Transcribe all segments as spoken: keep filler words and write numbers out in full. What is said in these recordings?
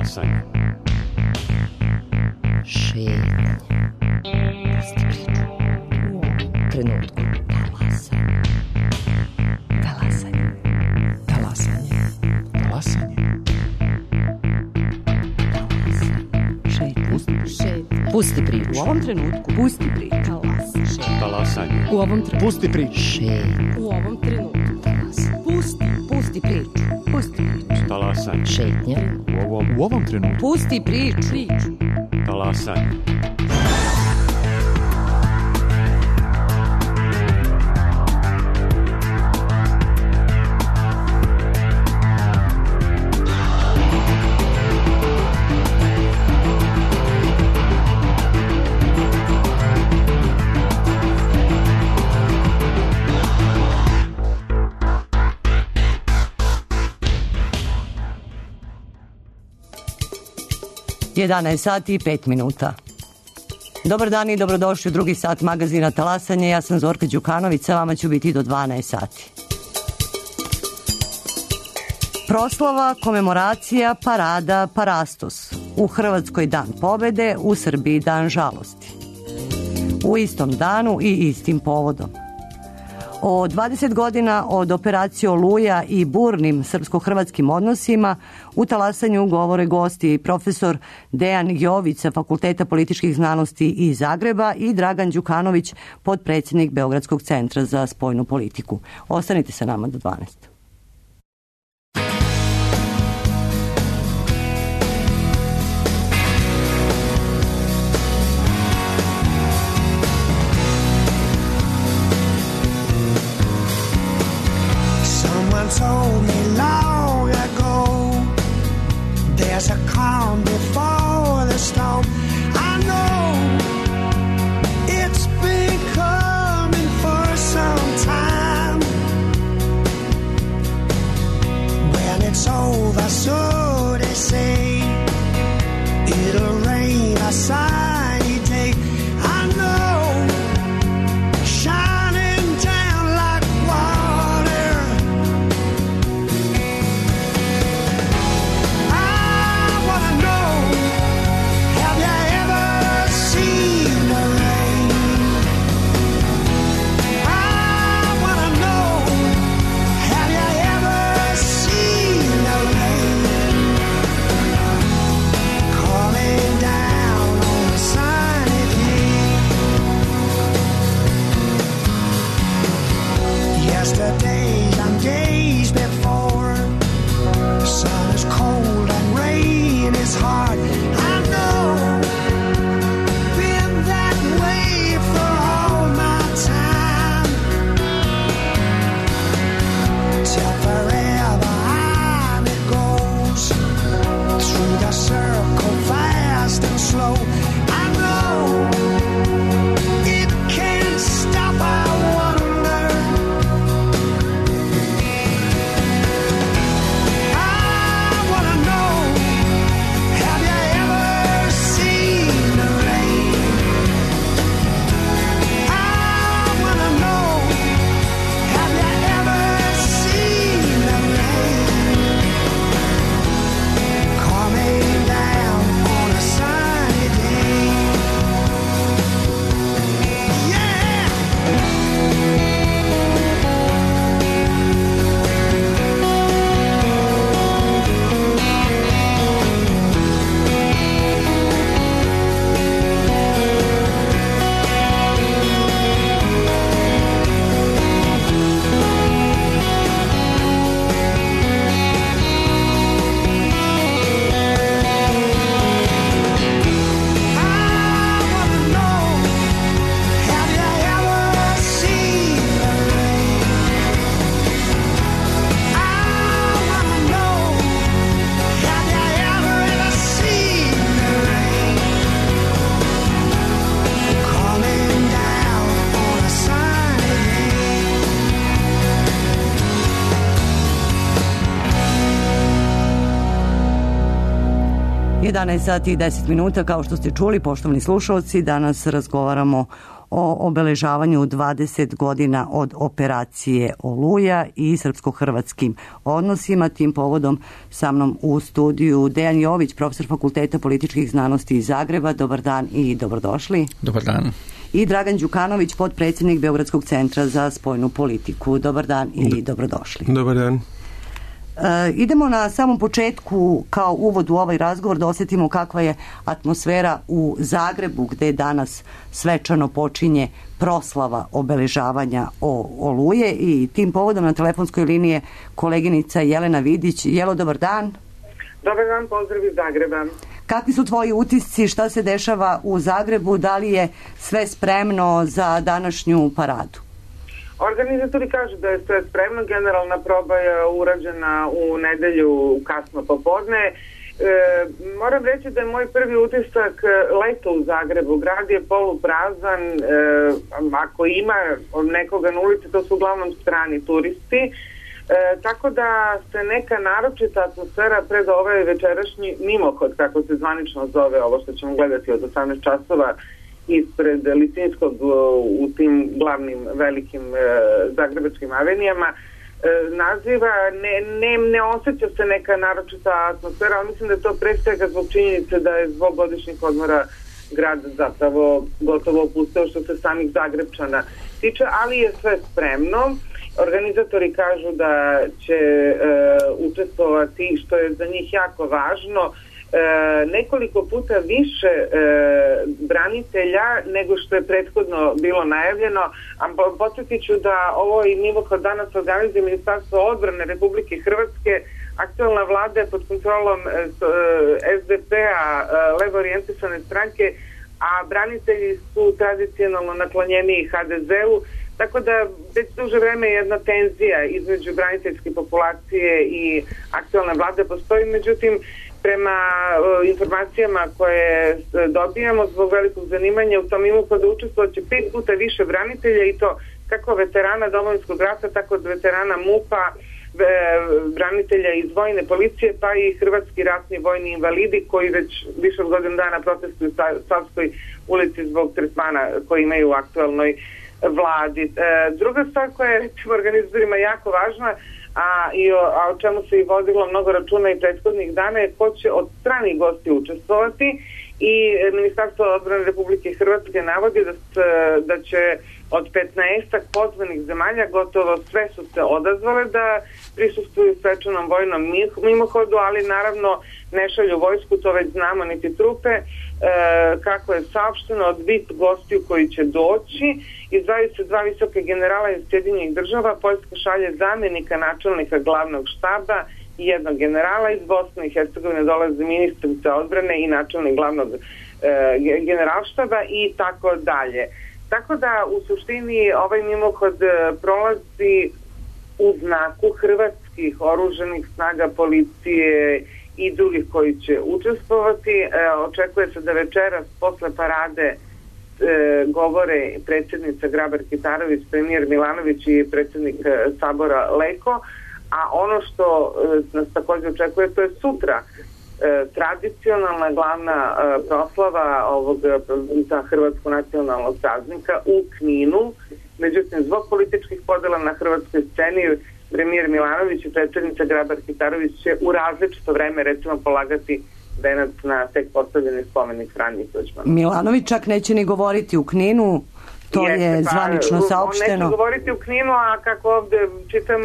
Talasanje. Šetnja. Pusti priču. U trenutku. Talasanje. Talasanje. Talasanje. Šetnja. Pusti priču. Pusti priču. U ovom trenutku. Pusti priču. Talasanje. U ovom trenutku. Pusti priču. Šetnja. U ovom trenutku. Pusti. Pusti priču. Pusti priču. Talasanje. Šetnja. U ovom, U ovom trenutku. Pusti priču. Priču. talasanje. jedanaest sati i pet minuta. Dobar dan i dobrodošli u drugi sat magazina Talasanje. Ja sam Zorka Đukanović, sa vama ću biti do dvanaest sati. Proslava, komemoracija, parada, parastos. U Hrvatskoj dan pobede, u Srbiji dan žalosti. U istom danu i istim povodom. O dvadeset godina od operacije Oluja i burnim srpsko-hrvatskim odnosima u Talasanju govore gosti profesor Dejan Jović sa Fakulteta političkih znanosti iz Zagreba i Dragan Đukanović, potpredsjednik Beogradskog centra za spoljnu politiku. Ostanite sa nama do dvanaest. Told me long ago there's a calm before the storm. I know it's been coming for some time. When it's over, so they say, it'll rain a sunny day. I know, shining down like water. Have you jedanaest sati i deset minuta, kao što ste čuli, poštovani slušalci, danas razgovaramo o obeležavanju dvadeset godina od operacije Oluja i srpsko-hrvatskim odnosima. Tim povodom sa mnom u studiju Dejan Jović, profesor Fakulteta političkih znanosti iz Zagreba. Dobar dan i dobrodošli. Dobar dan. I Dragan Đukanović, potpredsjednik Beogradskog centra za spoljnu politiku. Dobar dan i dobrodošli. Dobar dan. E, idemo na samom početku kao uvod u ovaj razgovor da osjetimo kakva je atmosfera u Zagrebu, gde danas svečano počinje proslava obeležavanja o Oluje, i tim povodom na telefonskoj liniji je koleginica Jelena Vidić. Jelo, dobar dan. Dobar dan, pozdrav iz Zagreba. Kakvi su tvoji utisci, šta se dešava u Zagrebu, da li je sve spremno za današnju paradu? Organizatori kažu da je sve spremno, generalna proba je urađena u nedelju kasno popodne. E, moram reći da je moj prvi utisak leto u Zagrebu. Grad je poluprazan, e, ako ima nekoga na ulici, to su uglavnom strani turisti. E, tako da se neka naročita atmosfera pred ovaj večerašnji mimohod, kako se zvanično zove ovo što ćemo gledati od osamnaest časova, ispred Lisinskog u tim glavnim velikim e, zagrebačkim avenijama, e, naziva, ne, ne, ne osjeća se neka naročita atmosfera, ali mislim da je to pre svega zbog činjenice da je zbog godišnjih odmora grad zapravo gotovo opusteo što se samih Zagrebčana tiče, ali je sve spremno. Organizatori kažu da će e, učestvovati, što je za njih jako važno, E, nekoliko puta više e, branitelja nego što je prethodno bilo najavljeno, a podsjetit ću da ovo i mimohod danas organizuje Ministarstvo odbrane Republike Hrvatske. Aktualna vlada je pod kontrolom e, es de pe-a, e, levo orijentisane stranke, a branitelji su tradicionalno naklonjeniji ha de ze-u, tako da već duže vreme jedna tenzija između braniteljske populacije i aktualne vlade postoji. Međutim, prema uh, informacijama koje dobijamo, zbog velikog zanimanja u tom mimohodu učestvovat će pet puta više branitelja, i to kako veterana Domovinskog rata, tako od veterana MUP-a, e, branitelja iz vojne policije, pa i hrvatski ratni vojni invalidi koji već više od godinu dana protestuju u Savskoj ulici zbog tretmana koji imaju u aktualnoj vladi. E, druga stvar koja je recimo organizatorima jako važna, A, i o, a o čemu se i vodilo mnogo računa i prethodnih dana, je ko će od stranih gosti učestvovati, i Ministarstvo odbrane Republike Hrvatske navodi da, da će od petnaestak pozvanih zemalja gotovo sve su se odazvale da prisustvuju svečanom vojnom mimohodu, ali naravno ne šalju vojsku, to već znamo, niti trupe. E, kako je saopšteno, od V I P gostiju koji će doći izdvajaju se dva visoka generala iz Sjedinjenih država. Poljska šalje zamjenika načelnika glavnog štaba i jednog generala. Iz Bosne i Hercegovine dolaze ministrica odbrane i načelnik glavnog e, generalštaba i tako dalje. Tako da u suštini ovaj mimohod prolazi u znaku hrvatskih oružanih snaga, policije i drugih koji će učestvovati. E, očekuje se da večeras posle parade e, govore predsjednica Grabar-Kitarović, premijer Milanović i predsjednik e, Sabora Leko, a ono što e, nas također očekuje, to je sutra e, tradicionalna glavna e, proslava ovog za hrvatskog nacionalnog praznika u Kninu. Međutim, zbog političkih podela na hrvatskoj sceni, premijer Milanović i predsjednica Grabar-Kitarović će u različito vreme recimo polagati venac na tek postavljeni spomenik Franji Tuđmanu. Milanović čak neće ni govoriti u Kninu, to Jeste, je zvanično pa, saopšteno. On neće govoriti u Kninu, a kako ovde čitam,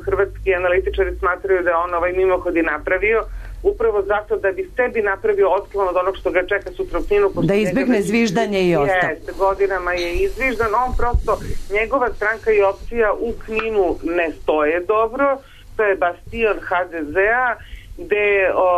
hrvatski analitičari smatraju da on ovaj mimohod i napravio upravo zato da bi sebi napravio otklon od onog što ga čeka sutra u Kninu. Da izbegne zviždanje i ostalo. Jeste, godinama je izviždan. On prosto, njegova stranka i opcija u Kninu ne stoje dobro. To je bastion ha de ze-a, gde o,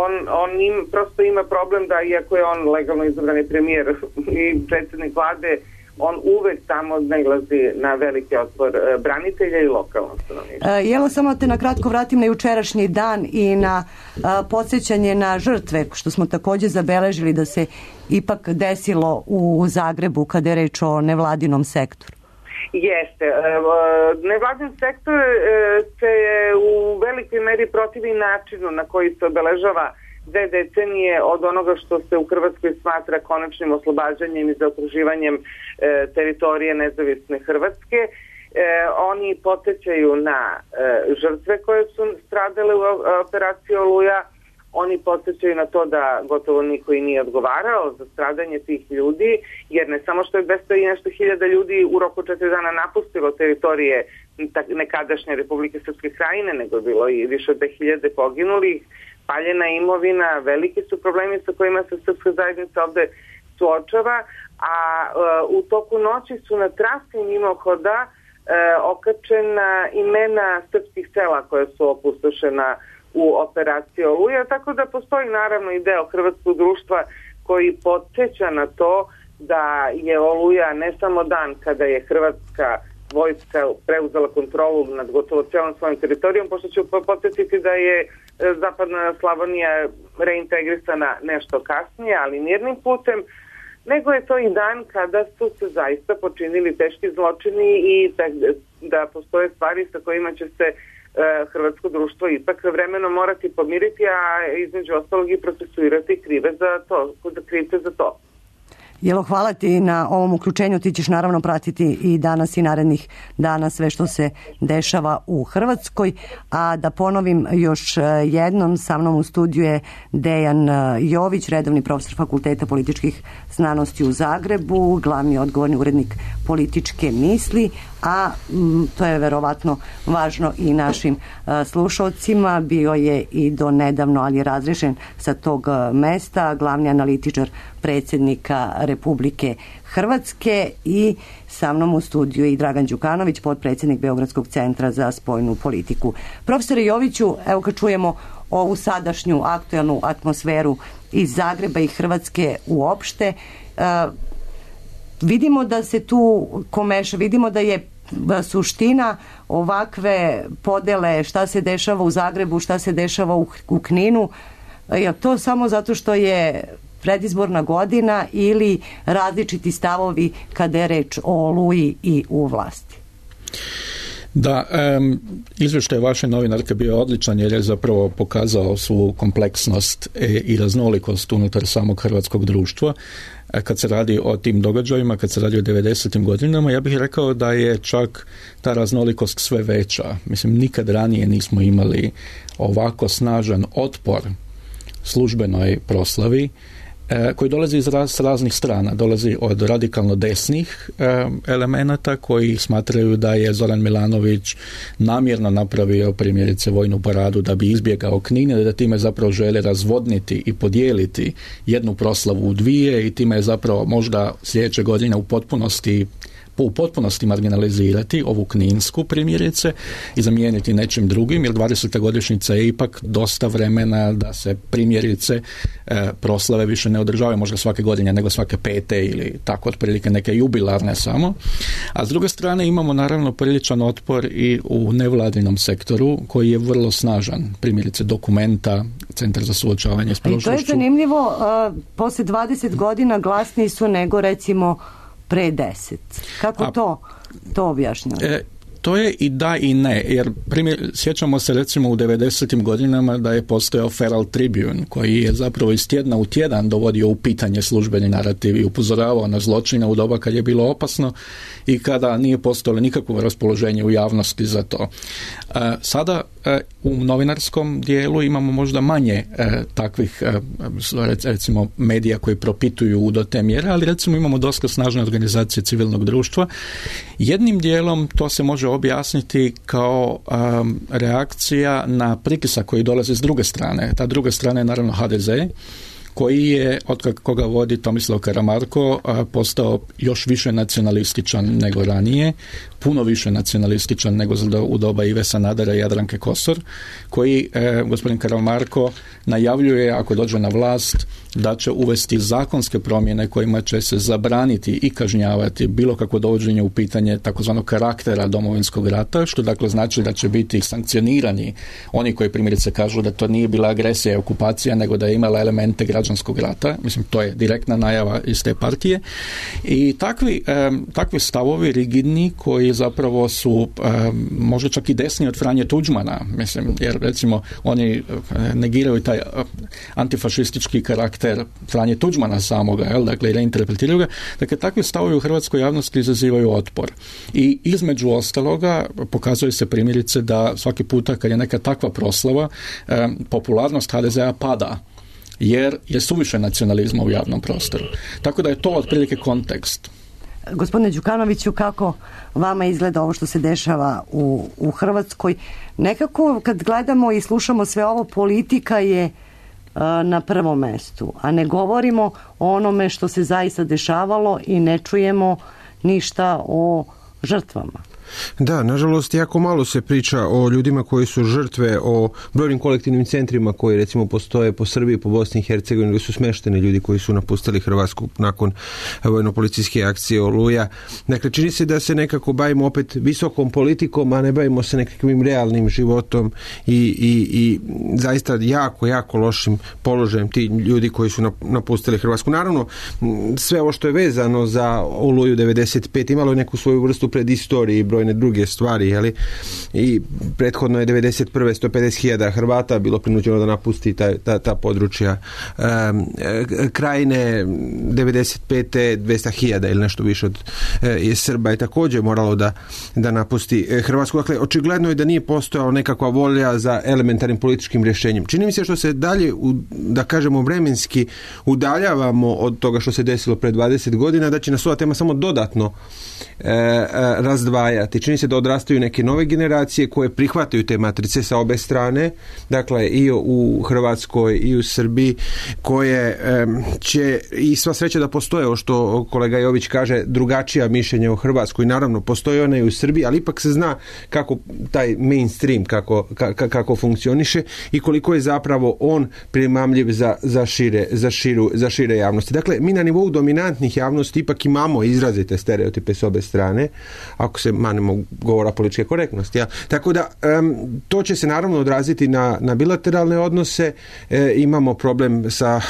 on, on im, prosto ima problem da, iako je on legalno izabrani premijer i predsjednik vlade, on uvek tamo nailazi na veliki otpor e, branitelja i lokalnog stanovništva. E, jelo, samo te na kratko vratim na jučerašnji dan i na a, podsjećanje na žrtve, što smo također zabeležili da se ipak desilo u Zagrebu kada je reč o nevladinom sektoru. Jeste. E, nevladin sektor e, se u velikoj meri protivi načinu na koji se obeležava dve decenije od onoga što se u Hrvatskoj smatra konačnim oslobađanjem i zaokruživanjem e, teritorije nezavisne Hrvatske. E, oni podsjećaju na e, žrtve koje su stradale u operaciji Oluja. Oni podsjećaju na to da gotovo niko i nije odgovarao za stradanje tih ljudi, jer ne samo što je dvesta i nešto hiljada ljudi u roku četiri dana napustilo teritorije nekadašnje Republike Srpske Krajine, nego je bilo i više od dve hiljade poginulih, paljena imovina, veliki su problemi sa kojima se srpska zajednica ovde suočava, a uh, u toku noći su na trasi mimohoda uh, okačena imena srpskih sela koje su opustošena u operaciji Oluja, tako da postoji naravno i deo hrvatskog društva koji podsjeća na to da je Oluja ne samo dan kada je hrvatska vojska preuzela kontrolu nad gotovo cijelom svojim teritorijom, pošto ću podsjetiti da je zapadna Slavonija reintegrisana nešto kasnije, ali mirnim putem, nego je to i dan kada su se zaista počinili teški zločini i da, da postoje stvari sa kojima će se hrvatsko društvo ipak vremenom morati pomiriti, a između ostalog i procesuirati krive za to, krivce za to. Jelo, hvala ti na ovom uključenju. Ti ćeš naravno pratiti i danas i narednih dana sve što se dešava u Hrvatskoj. A da ponovim još jednom, sa mnom u studiju je Dejan Jović, redovni profesor Fakulteta političkih znanosti u Zagrebu, glavni odgovorni urednik Političke misli, a m, to je verovatno važno i našim a, slušalcima. Bio je i do nedavno, ali je razrešen sa tog a, mesta, glavni analitičar predsjednika Republike Hrvatske, i sa mnom u studiju i Dragan Đukanović, potpredsjednik Beogradskog centra za spoljnu politiku. Profesore Joviću, evo kad čujemo ovu sadašnju aktuelnu atmosferu iz Zagreba i Hrvatske uopšte, a, vidimo da se tu komeša, vidimo da je suština ovakve podele, šta se dešava u Zagrebu, šta se dešava u, u Kninu, je to samo zato što je predizborna godina ili različiti stavovi kada je reč o Oluji i u vlasti? Da, um, izvještaj vaše novinarke bio odličan jer je zapravo pokazao svu kompleksnost e, i raznolikost unutar samog hrvatskog društva. E, kad se radi o tim događajima, kad se radi o devedesetim godinama, ja bih rekao da je čak ta raznolikost sve veća. Mislim, nikad ranije nismo imali ovako snažan otpor službenoj proslavi koji dolazi iz raz, raznih strana. Dolazi od radikalno desnih e, elemenata koji smatraju da je Zoran Milanović namjerno napravio primjerice vojnu paradu da bi izbjegao Knin, da time zapravo žele razvodniti i podijeliti jednu proslavu u dvije i time je zapravo možda sljedeće godine u potpunosti u potpunosti marginalizirati ovu kninsku primjerice i zamijeniti nečim drugim, jer dvadeseta godišnjica je ipak dosta vremena da se primjerice e, proslave više ne održavaju možda svake godine nego svake pete ili tako otprilike neke jubilarne samo. A s druge strane imamo naravno priličan otpor i u nevladinom sektoru koji je vrlo snažan. Primjerice Dokumenta, Centar za suočavanje s prošlošću. I to je zanimljivo, uh, poslije dvadeset godina glasniji su nego recimo pre deset. Kako A, to, to objašnjava? E, to je i da i ne, jer primjer, sjećamo se recimo u devedesetim godinama da je postojao Feral Tribune koji je zapravo iz tjedna u tjedan dovodio u pitanje službeni narativ i upozoravao na zločine u doba kad je bilo opasno i kada nije postojalo nikakvo raspoloženje u javnosti za to. E, sada e, u novinarskom dijelu imamo možda manje e, takvih e, recimo medija koji propituju do te mjere, ali recimo imamo dosta snažne organizacije civilnog društva. Jednim dijelom to se može objasniti kao um, reakcija na pritisak koji dolazi s druge strane. Ta druga strana je naravno ha de ze, koji je, od koga vodi Tomislav Karamarko, postao još više nacionalističan nego ranije, puno više nacionalističan nego u doba Ive Sanadera i Jadranke Kosor, koji eh, gospodin Karamarko najavljuje, ako dođe na vlast, da će uvesti zakonske promjene kojima će se zabraniti i kažnjavati bilo kakvo dovođenje u pitanje takozvanog karaktera Domovinskog rata, što dakle znači da će biti sankcionirani oni koji primjerice kažu da to nije bila agresija i okupacija, nego da je imala elemente građanskog rata, mislim to je direktna najava iz te partije i takvi, um, takvi stavovi rigidni koji zapravo su um, možda čak i desni od Franje Tuđmana, mislim, jer recimo oni negiraju taj antifašistički karakter Franje Tuđmana samoga, jel, dakle reinterpretiraju ga, dakle takvi stavovi u hrvatskoj javnosti izazivaju otpor i između ostaloga pokazuje se primjerice da svaki puta kad je neka takva proslava um, popularnost ha de zea pada jer je suviše nacionalizma u javnom prostoru. Tako da je to otprilike kontekst. Gospodine Đukanoviću, kako vama izgleda ovo što se dešava u, u Hrvatskoj? Nekako kad gledamo i slušamo sve ovo, politika je uh, na prvom mestu, a ne govorimo o onome što se zaista dešavalo i ne čujemo ništa o žrtvama. Da, nažalost, jako malo se priča o ljudima koji su žrtve, o brojnim kolektivnim centrima koji recimo postoje po Srbiji, po Bosni i Hercegovini, gdje su smešteni ljudi koji su napustili Hrvatsku nakon vojno-policijske akcije Oluja. Dakle, čini se da se nekako bavimo opet visokom politikom, a ne bavimo se nekakvim realnim životom i, i, i zaista jako, jako lošim položajem ti ljudi koji su napustili Hrvatsku. Naravno, sve ovo što je vezano za Oluju devedeset pet imalo je neku svoju vrstu predistorije i brojne druge stvari, jeli? I prethodno je devedeset prve sto pedeset hiljada Hrvata bilo prinuđeno da napusti ta, ta, ta područja. Um, krajine devedeset pete dvesta hiljada ili nešto više od je Srba je također moralo da, da napusti Hrvatsku. Dakle, očigledno je da nije postojala nekakva volja za elementarnim političkim rješenjem. Čini mi se što se dalje, da kažemo, vremenski udaljavamo od toga što se desilo pred dvadeset godina, da će nas ova tema samo dodatno e, e, razdvajati. Čini se da odrastaju neke nove generacije koje prihvataju te matrice sa obe strane, dakle i u Hrvatskoj i u Srbiji, koje e, će, i sva sreća da postoje, o što kolega Jović kaže, drugačija mišljenja u Hrvatskoj. Naravno, postoje ona i u Srbiji, ali ipak se zna kako taj mainstream, kako, ka, kako funkcioniše i koliko je zapravo on primamljiv za, za, šire, za, širu, za šire javnosti. Dakle, mi na nivou dominantnih javnosti ipak imamo izrazite stereotipe s obe strane, ako se manemo govora političke korektnosti. Ja. Tako da, um, to će se naravno odraziti na, na bilateralne odnose. E, imamo problem sa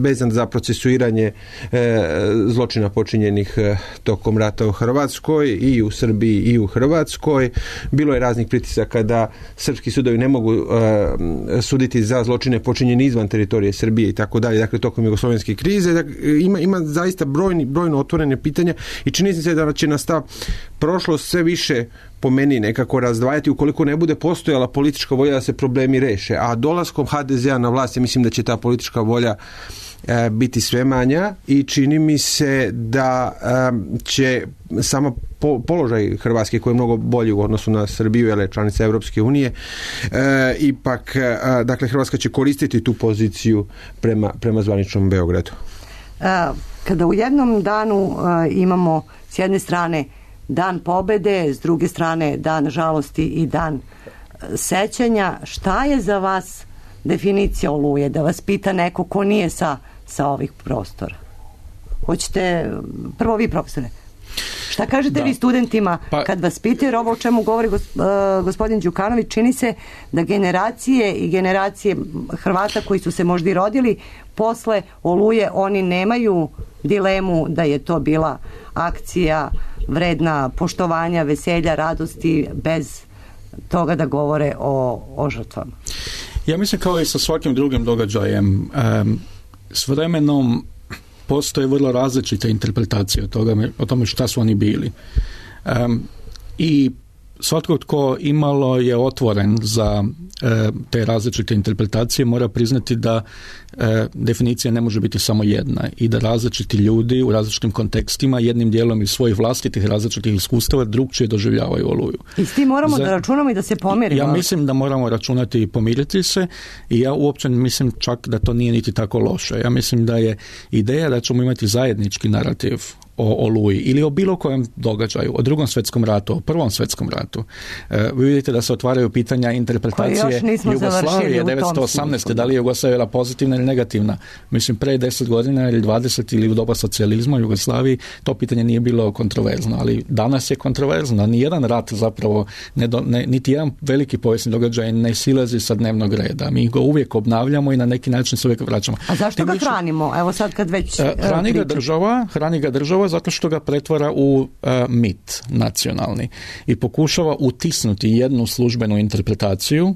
vezan za procesuiranje e, zločina počinjenih e, tokom rata u Hrvatskoj i u Srbiji i u Hrvatskoj. Bilo je raznih pritisaka da srpski sudovi ne mogu e, suditi za zločine počinjene izvan teritorije Srbije i tako dalje. Dakle, tokom jugoslovenske krize. Dakle, ima, ima zaista brojni, brojno otvorene pitanja i čini se da će nas ta prošlost sve više po meni nekako razdvajati ukoliko ne bude postojala politička volja da se problemi reše. A dolaskom ha de zea na vlast, ja mislim da će ta politička volja e, biti sve manja i čini mi se da e, će samo po, položaj Hrvatske, koji je mnogo bolji u odnosu na Srbiju, jer je članica Europske unije, e, ipak, e, dakle, Hrvatska će koristiti tu poziciju prema, prema zvaničnom Beogradu. A, kada u jednom danu a, imamo s jedne strane Dan pobede, s druge strane Dan žalosti i Dan sećanja, šta je za vas definicija Oluje? Da vas pita neko ko nije sa, sa ovih prostora. Hoćete, prvo vi, profesore. Šta kažete da. vi studentima pa, kad vas pitaju, jer ovo o čemu govori gos, uh, gospodin Đukanović, čini se da generacije i generacije Hrvata koji su se možda i rodili posle Oluje, oni nemaju dilemu da je to bila akcija vredna poštovanja, veselja, radosti, bez toga da govore o, o žrtvama. Ja mislim kao i sa svakim drugim događajem, um, s vremenom postoje vrlo različite interpretacije o, toga, o tome šta su oni bili. Um, I svatko tko imalo je otvoren za e, te različite interpretacije mora priznati da e, definicija ne može biti samo jedna i da različiti ljudi u različitim kontekstima jednim dijelom iz svojih vlastitih različitih iskustava drugčije doživljavaju Oluju. I s tim moramo za, da računamo i da se pomirimo. Ja mislim da moramo računati i pomiriti se i ja uopće mislim čak da to nije niti tako loše. Ja mislim da je ideja da ćemo imati zajednički narativ o Oluji ili o bilo kojem događaju, o drugom svjetskom ratu, o prvom svjetskom ratu, e, vi vidite da se otvaraju pitanja interpretacije Jugoslavije devetsto osamnaeste. Da li je Jugoslavija bila pozitivna ili negativna? Mislim, pre deset godina ili dvadeset ili u doba socijalizma u Jugoslaviji to pitanje nije bilo kontroverzno, ali danas je kontroverzno. Nijedan rat zapravo, ne do, ne, niti jedan veliki povijesni događaj ne silazi sa dnevnog reda. Mi ga uvijek obnavljamo i na neki način se uvijek vraćamo. A zašto Tim ga više, hranimo? Evo sad kad već hrani ga država, hrani ga država zato što ga pretvara u uh, mit nacionalni i pokušava utisnuti jednu službenu interpretaciju, uh,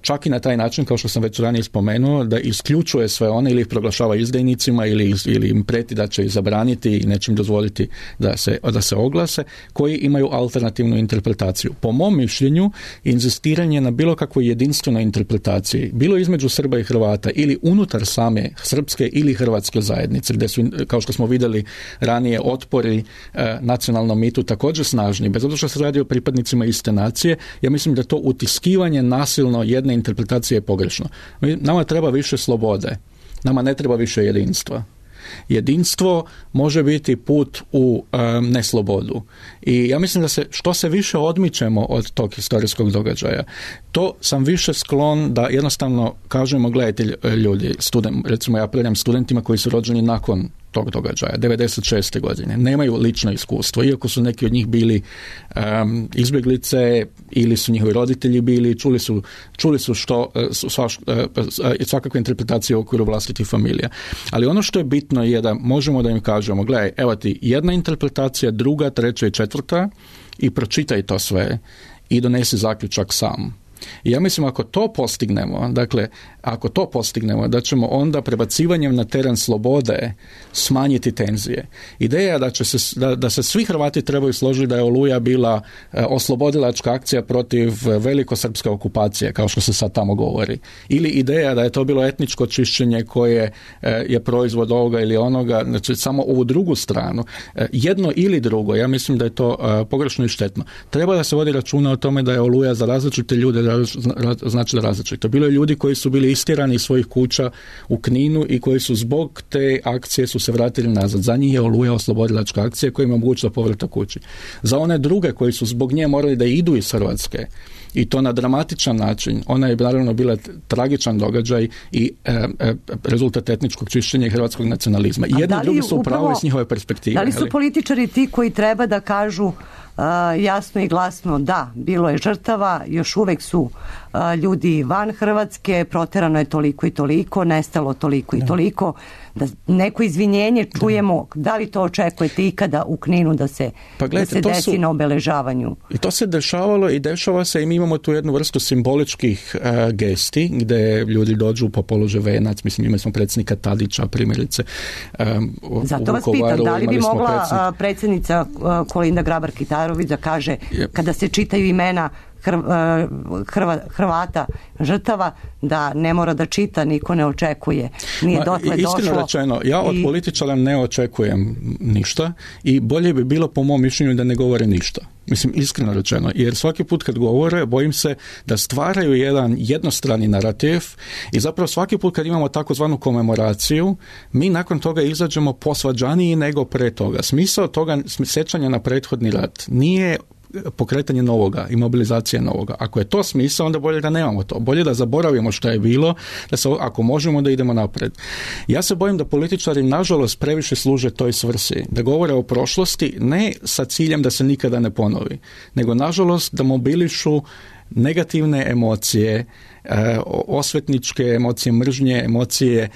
čak i na taj način, kao što sam već ranije spomenuo, da isključuje sve one ili ih proglašava izdajnicima ili, ili im preti da će ih zabraniti i neće im dozvoliti da se, da se oglase, koji imaju alternativnu interpretaciju. Po mom mišljenju, inzistiranje na bilo kakvoj jedinstvenoj interpretaciji, bilo između Srba i Hrvata ili unutar same srpske ili hrvatske zajednice, gdje su, kao što smo vidjeli ranije, otpori e, nacionalnom mitu također snažni, bez obzira što se radi o pripadnicima iste nacije, ja mislim da to utiskivanje nasilno jedne interpretacije je pogrešno. Nama treba više slobode, nama ne treba više jedinstva. Jedinstvo može biti put u um, neslobodu. I ja mislim da se što se više odmičemo od tog historijskog događaja, to sam više sklon da jednostavno kažemo, gledajte ljudi, student, recimo ja predam studentima koji su rođeni nakon tog događaja, devedeset šeste godine, nemaju lično iskustvo, iako su neki od njih bili um, izbjeglice ili su njihovi roditelji bili, čuli su, čuli su što, sva, svakakve interpretacije u okviru vlastitih familija. Ali ono što je bitno je da možemo da im kažemo, gledaj, evo ti jedna interpretacija, druga, treća i četvrta i pročitaj to sve i donesi zaključak sam. I ja mislim ako to postignemo, dakle, ako to postignemo, da ćemo onda prebacivanjem na teren slobode smanjiti tenzije. Ideja je da, će se, da, da se svi Hrvati trebaju složiti da je Oluja bila e, oslobodilačka akcija protiv velikosrpske okupacije, kao što se sad tamo govori. Ili ideja da je to bilo etničko čišćenje koje e, je proizvod ovoga ili onoga, znači samo ovu drugu stranu. E, jedno ili drugo, ja mislim da je to e, pogrešno i štetno. Treba da se vodi računa o tome da je Oluja za različite ljude znači da različito. Bilo je ljudi koji su bili istjerani iz svojih kuća u Kninu i koji su zbog te akcije su se vratili nazad. Za njih je Oluja oslobodilačka akcija koja im je omogućila povratak kući. Za one druge koji su zbog nje morali da idu iz Hrvatske i to na dramatičan način, ona je naravno bila tragičan događaj i e, e, rezultat etničkog čišćenja i hrvatskog nacionalizma. I jedni i drugi su upravo iz njihove perspektive. Da li su ali? političari ti koji treba da kažu Uh, jasno i glasno da, bilo je žrtava, još uvek su uh, ljudi van Hrvatske, proterano je toliko i toliko, nestalo toliko i da. toliko, da neko izvinjenje čujemo, da, da li to očekujete ikada u Kninu da se, pa gledajte, da se desi su, na obeležavanju? I to se dešavalo i dešava se i mi imamo tu jednu vrstu simboličkih uh, gesti gde ljudi dođu po položaj venac, mislim imali smo predsjednika Tadića primjerice um, zato vas pitam, da li bi mogla predsjednik... predsjednica uh, Kolinda Grabar-Kitarović da kaže yep. kada se čitaju imena Hrva, Hrvata žrtava da ne mora da čita, niko ne očekuje, nije Ma, dotle došlo. Iskreno rečeno, ja od i... političara ne očekujem ništa i bolje bi bilo po mom mišljenju da ne govore ništa. Mislim, iskreno rečeno, jer svaki put kad govore, bojim se da stvaraju jedan jednostrani narativ i zapravo svaki put kad imamo takozvanu komemoraciju, mi nakon toga izađemo posvađaniji nego pre toga. Smisao toga sjećanja na prethodni rat nije pokretanje novoga i mobilizacija novoga. Ako je to smisao, onda bolje da nemamo to. Bolje da zaboravimo što je bilo, da se, ako možemo da idemo napred. Ja se bojim da političari nažalost previše služe toj svrsi, da govore o prošlosti ne sa ciljem da se nikada ne ponovi, nego nažalost da mobilišu negativne emocije, osvetničke emocije, mržnje, emocije,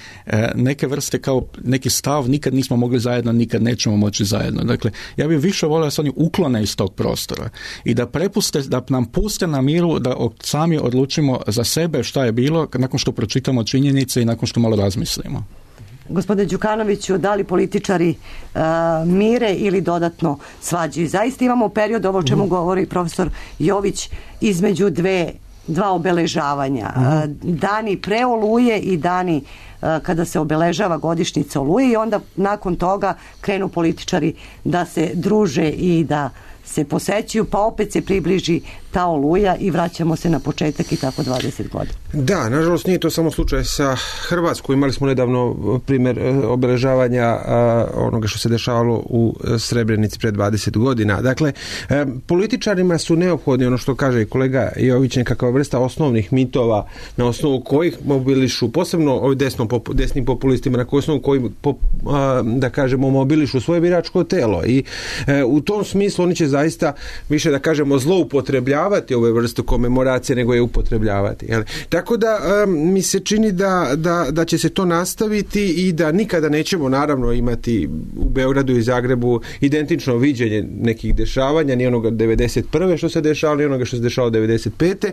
neke vrste kao neki stav, nikad nismo mogli zajedno, nikad nećemo moći zajedno. Dakle, ja bih više volio da se oni uklone iz tog prostora i da prepuste, da nam puste na miru da sami odlučimo za sebe šta je bilo nakon što pročitamo činjenice i nakon što malo razmislimo. Gospodine Đukanoviću, da li političari uh, mire ili dodatno svađaju? Zaista imamo period, ovo o čemu mm. govori profesor Jović, između dve, dva obeležavanja. Mm. Uh, dani pre Oluje i dani uh, kada se obeležava godišnjica Oluje i onda nakon toga krenu političari da se druže i da se posećuju, pa opet se približi ta oluja i vraćamo se na početak i tako dvadeset godina. Da, nažalost nije to samo slučaj sa Hrvatskom. Imali smo nedavno primjer obeležavanja a, onoga što se dešavalo u Srebrenici pred dvadeset godina. Dakle, e, političarima su neophodni, ono što kaže i kolega Jović, nekakva vrsta osnovnih mitova na osnovu kojih mobilišu, posebno ovi desno, desnim populistima, na osnovu kojih po, a, da kažemo mobilišu svoje biračko telo. I e, u tom smislu oni će zaista više, da kažemo, zloupotrebljavati ove vrstu komemoracije nego je upotrebljavati. Jel? Tako da um, mi se čini da, da, da će se to nastaviti i da nikada nećemo naravno imati u Beogradu i Zagrebu identično viđenje nekih dešavanja, ni onoga devedeset prve što se dešavalo, ni onoga što se dešavalo devedeset pete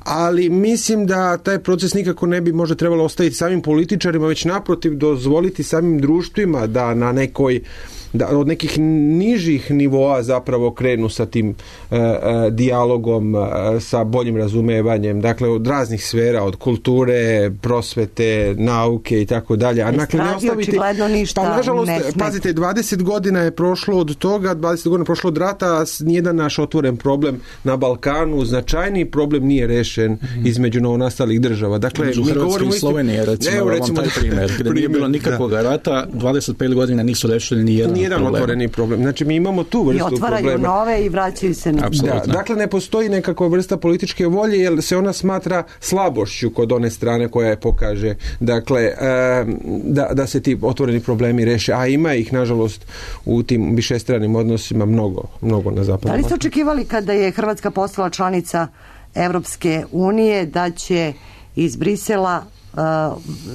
ali mislim da taj proces nikako ne bi možda trebalo ostaviti samim političarima, već naprotiv dozvoliti samim društvima da na nekoj da od nekih nižih nivoa zapravo krenu sa tim uh, uh, dijalogom, uh, sa boljim razumevanjem, dakle od raznih sfera, od kulture, prosvete, nauke i tako dalje. A dakle ne ostaviti, pa nažalost, pazite, dvadeset godina je prošlo od toga, dvadeset godina je prošlo od rata, nijedan naš otvoren problem na Balkanu, značajni problem nije rešen mm. između novonastalih država. Dakle, u Hrvatskoj i Slovenije, recimo, evo, recimo taj primjer, gdje nije bilo nikakvog da. rata, dvadeset pet godina nisu rešili ni jedan Nijedan problem. otvoreni problem. Znači mi imamo tu vrstu problema. I otvaraju problema. nove i vraćaju se na... Da, dakle, ne postoji nekakva vrsta političke volje jer se ona smatra slabošću kod one strane koja je pokaže. Dakle, e, da, da se ti otvoreni problemi reše. A ima ih, nažalost, u tim višestranim odnosima mnogo, mnogo na zapadu. Da li ste očekivali kada je Hrvatska postala članica Evropske unije da će iz Brisela uh,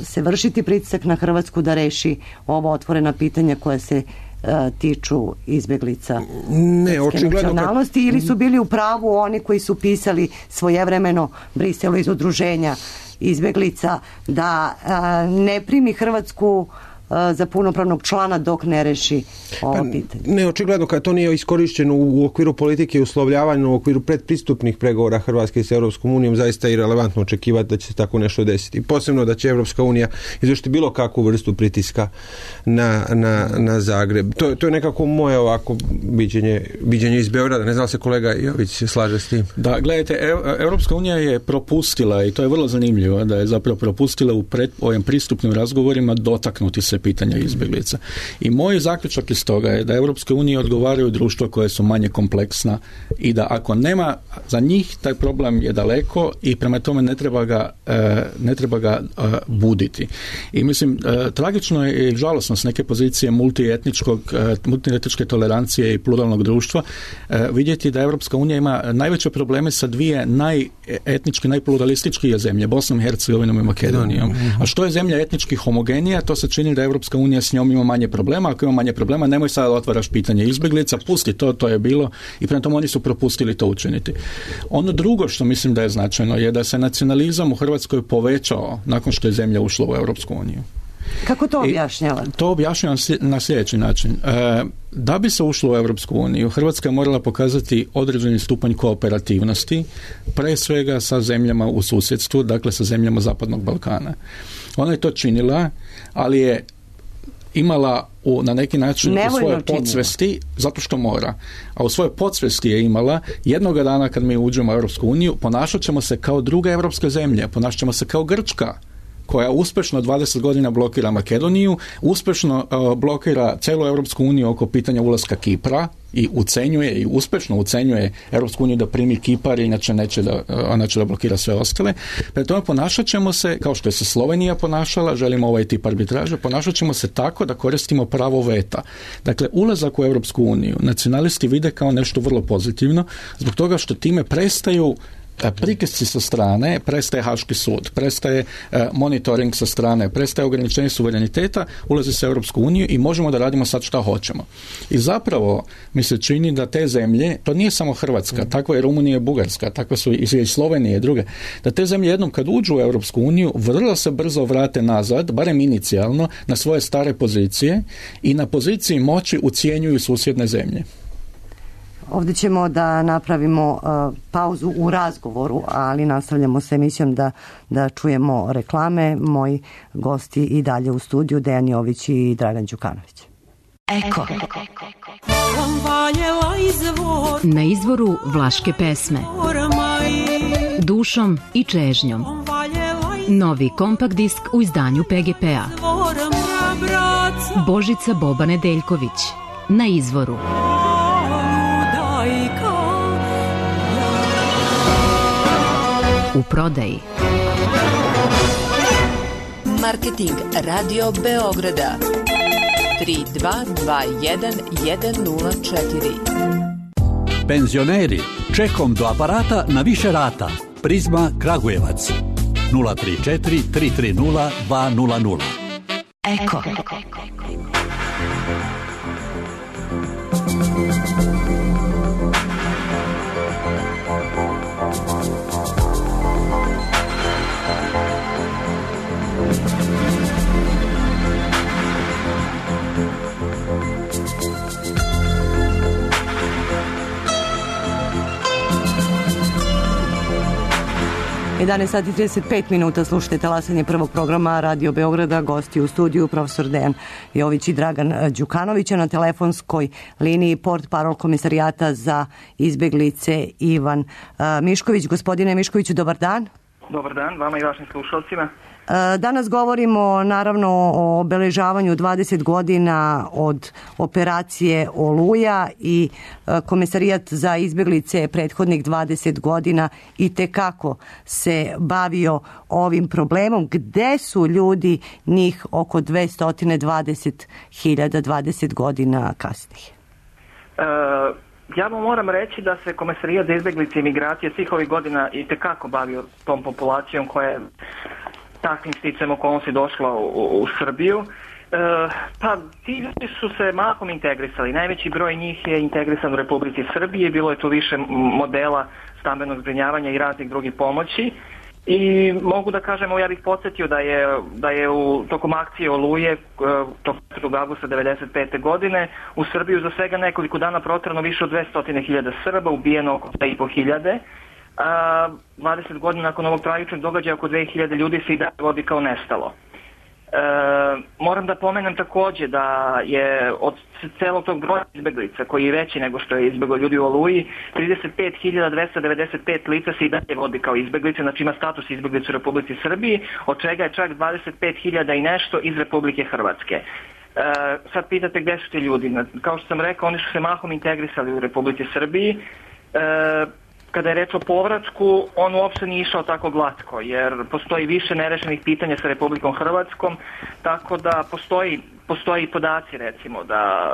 se vršiti pritisak na Hrvatsku da reši ovo otvorena pitanja koja se uh, tiču izbjeglica ne, očigledno nacionalnosti, ili su bili u pravu oni koji su pisali svojevremeno Briselu iz udruženja izbjeglica da uh, ne primi Hrvatsku za punopravnog člana dok ne reši ovo pa, pitanje. Ne, očigledno kad to nije iskorišteno u okviru politike i uslovljavanja, u okviru predpristupnih pregovora Hrvatske s Europskom unijom, zaista je relevantno očekivati da će se tako nešto desiti. Posebno da će Europska unija izvršiti bilo kakvu vrstu pritiska na, na, na Zagreb. To, to je nekako moje ovako viđenje, viđenje iz Beograda. Ne znam se kolega Jović slaže s tim. Da, gledajte, Europska unija je propustila, i to je vrlo zanimljivo, da je zapravo propustila u pred, ovim pristupnim razgovorima dotaknuti se pitanja izbjeglica. I moj zaključak iz toga je da Europske unije odgovaraju društva koje su manje kompleksna i da ako nema za njih, taj problem je daleko i prema tome ne treba ga, ne treba ga buditi. I mislim, tragično je i žalosno s neke pozicije multietničkog, multietničke tolerancije i pluralnog društva vidjeti da Europska unija ima najveće probleme sa dvije najetnički, najpluralističkije zemlje, Bosnom i Hercegovinom i Makedonijom. A što je zemlja etnički homogenija, to se čini da Europska unija s njom ima manje problema. Ako ima manje problema, nemoj sad otvaraš pitanje izbjeglica, pusti to, to je bilo, i prema tome oni su propustili to učiniti. Ono drugo što mislim da je značajno je da se nacionalizam u Hrvatskoj povećao nakon što je zemlja ušla u Europsku uniju. Kako to objašnjava? I to objašnjava na sljedeći način. E, da bi se ušlo u Europsku uniju, Hrvatska je morala pokazati određeni stupanj kooperativnosti, pre svega sa zemljama u susjedstvu, dakle sa zemljama Zapadnog Balkana. Ona je to činila, ali je imala u, na neki način Nevoljno u svojoj podsvesti, činila. Zato što mora, a u svojoj podsvesti je imala jednoga dana kad mi uđemo u Europsku uniju, ponašat ćemo se kao druge europske zemlje, ponašat ćemo se kao Grčka, koja uspješno dvadeset godina blokira Makedoniju, uspješno uh, blokira celu Europsku uniju oko pitanja ulaska Kipra i ucenjuje i uspješno ucenjuje Europsku uniju da primi Kipar, inače neće da, ona će da blokira sve ostale. Prema tome ponašat ćemo se, kao što je se Slovenija ponašala, želimo ovaj tip arbitraže, ponašat ćemo se tako da koristimo pravo veta. Dakle, ulazak u Europsku uniju nacionalisti vide kao nešto vrlo pozitivno, zbog toga što time prestaju pritisci sa strane, prestaje Haški sud, prestaje e, monitoring sa strane, prestaje ograničenje suvereniteta, ulazi se u Europsku uniju i možemo da radimo sad šta hoćemo. I zapravo mi se čini da te zemlje, to nije samo Hrvatska, takva je Rumunija i Bugarska, takva su i Slovenije i druge, da te zemlje jednom kad uđu u Europsku uniju vrlo se brzo vrate nazad, barem inicijalno, na svoje stare pozicije i na poziciji moći ucjenjuju susjedne zemlje. Ovdje ćemo da napravimo uh, pauzu u razgovoru, ali nastavljamo s emisijom da, da čujemo reklame. Moji gosti i dalje u studiju, Dejan Jović i Dragan Đukanović. Eko. Na izvoru vlaške pesme Dušom i čežnjom. Novi kompakt disk u izdanju P G P-a. Božica Boba Nedeljković. Na izvoru. U prodaji. Marketing Radio Beograda tri dva dva jedan jedan nula četiri. Penzioneri, čekom do aparata na više rata. Prizma Kragujevac nula tri četiri tri tri nula dva nula nula. Eko. jedanaest sati i trideset pet minuta, slušajte talasanje prvog programa Radio Beograda, gosti u studiju profesor Dejan Jović i Dragan Đukanović, na telefonskoj liniji port parol komisarijata za izbeglice Ivan Mišković. Gospodine Miškoviću, dobar dan. Dobar dan, vama i vašim slušalcima. Danas govorimo naravno o obeležavanju dvadeset godina od operacije Oluja i Komesarijat za izbeglice prethodnih dvadeset godina i tekako se bavio ovim problemom. Gde su ljudi, njih oko dvesta dvadeset hiljada dvadeset godina kasnije? E, ja vam moram reći da se Komesarijat za izbeglice i migracije svih ovih godina i tekako bavio tom populacijom koja je takvim sticajem okolnosti došla u, u Srbiju. E, pa ti ljudi su se mahom integrisali. Najveći broj njih je integrisan u Republici Srbije. Bilo je tu više modela stambenog zbrinjavanja i raznih drugih pomoći. I mogu da kažem, ja bih podsjetio da je, da je u tokom akcije Oluje, tokom četvrtog avgusta devedeset pete godine, u Srbiju za svega nekoliko dana proterano više od dvesta hiljada Srba, ubijeno oko dve i po hiljade. A, dvadeset godina nakon ovog tragičnog događaja oko dve hiljade ljudi se i dalje vodi kao nestalo. E, moram da pomenem takođe da je od celog tog broja izbeglica, koji je veći nego što je izbeglo ljudi u Oluji, trideset pet hiljada dvesta devedeset pet lica se i dalje vodi kao izbeglice, znači ima status izbeglice u Republici Srbiji, od čega je čak dvadeset pet hiljada i nešto iz Republike Hrvatske. E, sad pitate gde su ti ljudi. Kao što sam rekao, oni su se mahom integrisali u Republici Srbiji. E, Kada je reč o povratku, on uopšte nije išao tako glatko, jer postoji više nerešenih pitanja sa Republikom Hrvatskom, tako da postoji, postoji podaci, recimo, da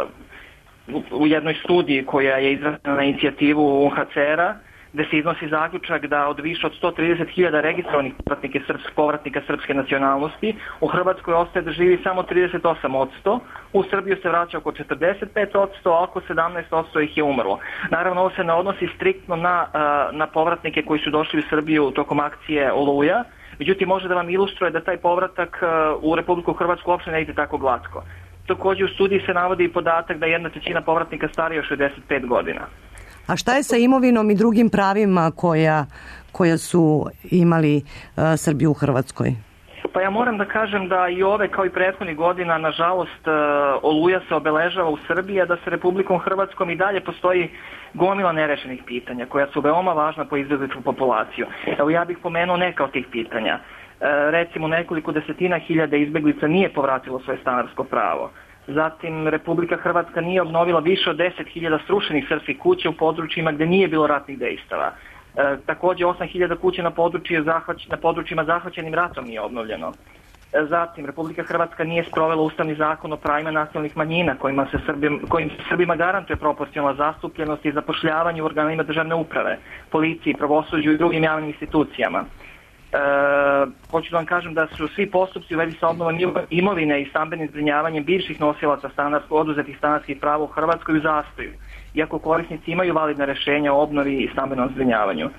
u, u jednoj studiji koja je izrađena na inicijativu U N H C R-a, gde se iznosi zaključak da od više od sto trideset hiljada registrovanih povratnika, srpsk, povratnika srpske nacionalnosti u Hrvatskoj ostaje da živi samo trideset osam posto, u Srbiju se vraća oko četrdeset pet posto, a oko sedamnaest posto ih je umrlo. Naravno, ovo se ne odnosi striktno na, na povratnike koji su došli u Srbiju tokom akcije Oluja, međutim može da vam ilustruje da taj povratak u Republiku Hrvatsku uopšte ne ide tako glatko. Takođe u studiji se navodi i podatak da jedna trećina povratnika starija od šezdeset pet godina. A šta je sa imovinom i drugim pravima koja, koja su imali uh, Srbi u Hrvatskoj? Pa ja moram da kažem da i ove kao i prethodnih godina, nažalost, uh, Oluja se obeležava u Srbiji, a da sa Republikom Hrvatskom i dalje postoji gomila nerešenih pitanja koja su veoma važna po izbegličku populaciju. Evo ja bih pomenuo neka od tih pitanja. Uh, recimo nekoliko desetina hiljada izbeglica nije povratilo svoje stanarsko pravo. Zatim, Republika Hrvatska nije obnovila više od deset hiljada srušenih srpskih kuća u područjima gde nije bilo ratnih dejstava. E, takođe, osam hiljada kuća na, zahvać, na područjima zahvaćenim ratom nije obnovljeno. E, zatim, Republika Hrvatska nije sprovela ustavni zakon o pravima nacionalnih manjina kojima se Srbim, kojim se Srbima garantuje proporcionalna zastupljenost i zapošljavanje u organima državne uprave, policiji, pravosuđu i drugim javnim institucijama. E, hoću da vam kažem da su svi postupci u vezi sa obnovom imovine i stambenim zbrinjavanjem bivših nosilaca stanarsko, oduzetih stanarskih prava u Hrvatskoj u zastoju, iako korisnici imaju validna rešenja o obnovi i stambenom zbrinjavanju.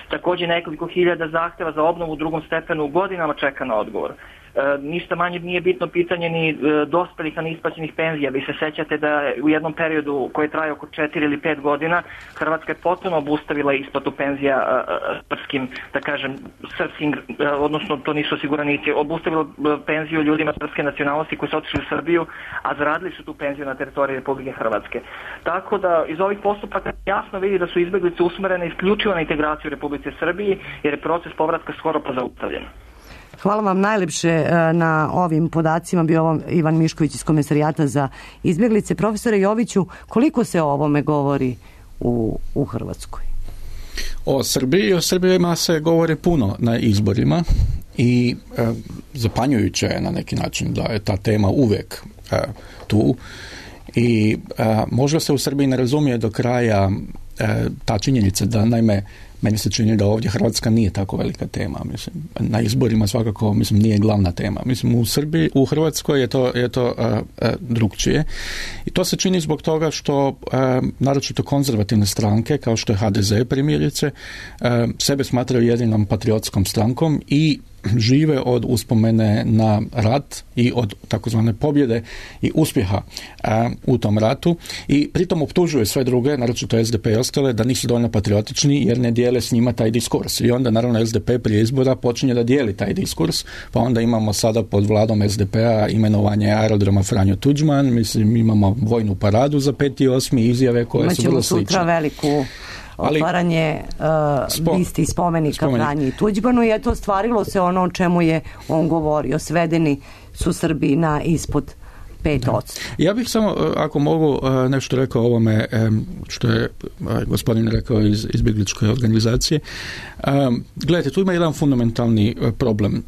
Takođe nekoliko hiljada zahteva za obnovu u drugom stepenu godinama čeka na odgovor. ništa manje nije bitno pitanje ni e, dospelih, a neisplaćenih penzija. Vi se sećate da u jednom periodu koji traje oko četiri ili pet godina Hrvatska je potpuno obustavila isplatu penzija e, srpskim, da kažem, srpskim, e, odnosno to nisu osiguranici, obustavila penziju ljudima srpske nacionalnosti koji su otišli u Srbiju, a zaradili su tu penziju na teritoriji Republike Hrvatske. Tako da iz ovih postupaka jasno vidi da su izbeglice usmerene isključivo na integraciju u Republike Srbiji, jer je proces povratka skoro pa zaustavljen. Hvala vam najlepše na ovim podacima. Bio ovo Ivan Mišković iz Komesarijata za izbjeglice. Profesore Joviću, koliko se o ovome govori u, u Hrvatskoj? O Srbiji, o Srbijima se govori puno na izborima i e, zapanjujuće je na neki način da je ta tema uvijek e, tu i e, možda se u Srbiji ne razumije do kraja e, ta činjenica da, naime, meni se čini da ovdje Hrvatska nije tako velika tema. Mislim, na izborima svakako, mislim, nije glavna tema. Mislim, u Srbiji, u Hrvatskoj je to, je to uh, uh, drugčije. I to se čini zbog toga što uh, naročito konzervativne stranke, kao što je ha de ze primjerice, uh, sebe smatraju jedinom patriotskom strankom i žive od uspomene na rat i od takozvane pobjede i uspjeha a, u tom ratu i pritom optužuje sve druge, naročito es de pe i ostale, da nisu dovoljno patriotični jer ne dijele s njima taj diskurs. I onda naravno es de pe prije izbora počinje da dijeli taj diskurs, pa onda imamo sada pod vladom es de pe-a imenovanje aerodroma Franjo Tuđman, mislim imamo vojnu paradu za peti osmi izjave koje Imaćemo su vrlo slične. sutra veliku otvaranje uh, bisti i spomenika spomenik. Franji Tuđmanu i eto stvarilo se ono o čemu je on govorio. Svedeni su Srbi na ispod pet odsto. Ja bih samo, ako mogu, nešto rekao o ovome što je gospodin rekao iz izbjegličke organizacije. Gledajte, tu ima jedan fundamentalni problem.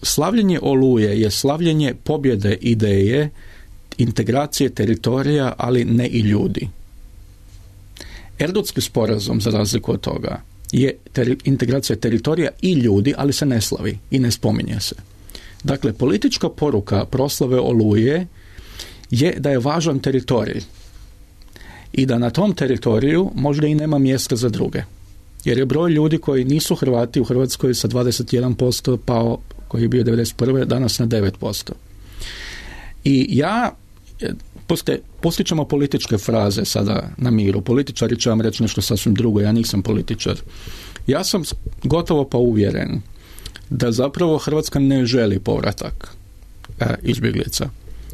Slavljenje Oluje je slavljenje pobjede ideje, integracije teritorija, ali ne i ljudi. Erdutski sporazum, za razliku od toga, je ter- integracija teritorija i ljudi, ali se ne slavi i ne spominje se. Dakle, politička poruka proslave Oluje je da je važan teritorij i da na tom teritoriju možda i nema mjesta za druge. Jer je broj ljudi koji nisu Hrvati u Hrvatskoj sa dvadeset jedan posto pao, koji je bio devedeset prve danas na devet posto. I ja Puste, pustit ćemo političke fraze sada na miru. Političari će vam reći nešto sasvim drugo, ja nisam političar. Ja sam gotovo pa uvjeren da zapravo Hrvatska ne želi povratak e, izbjeglica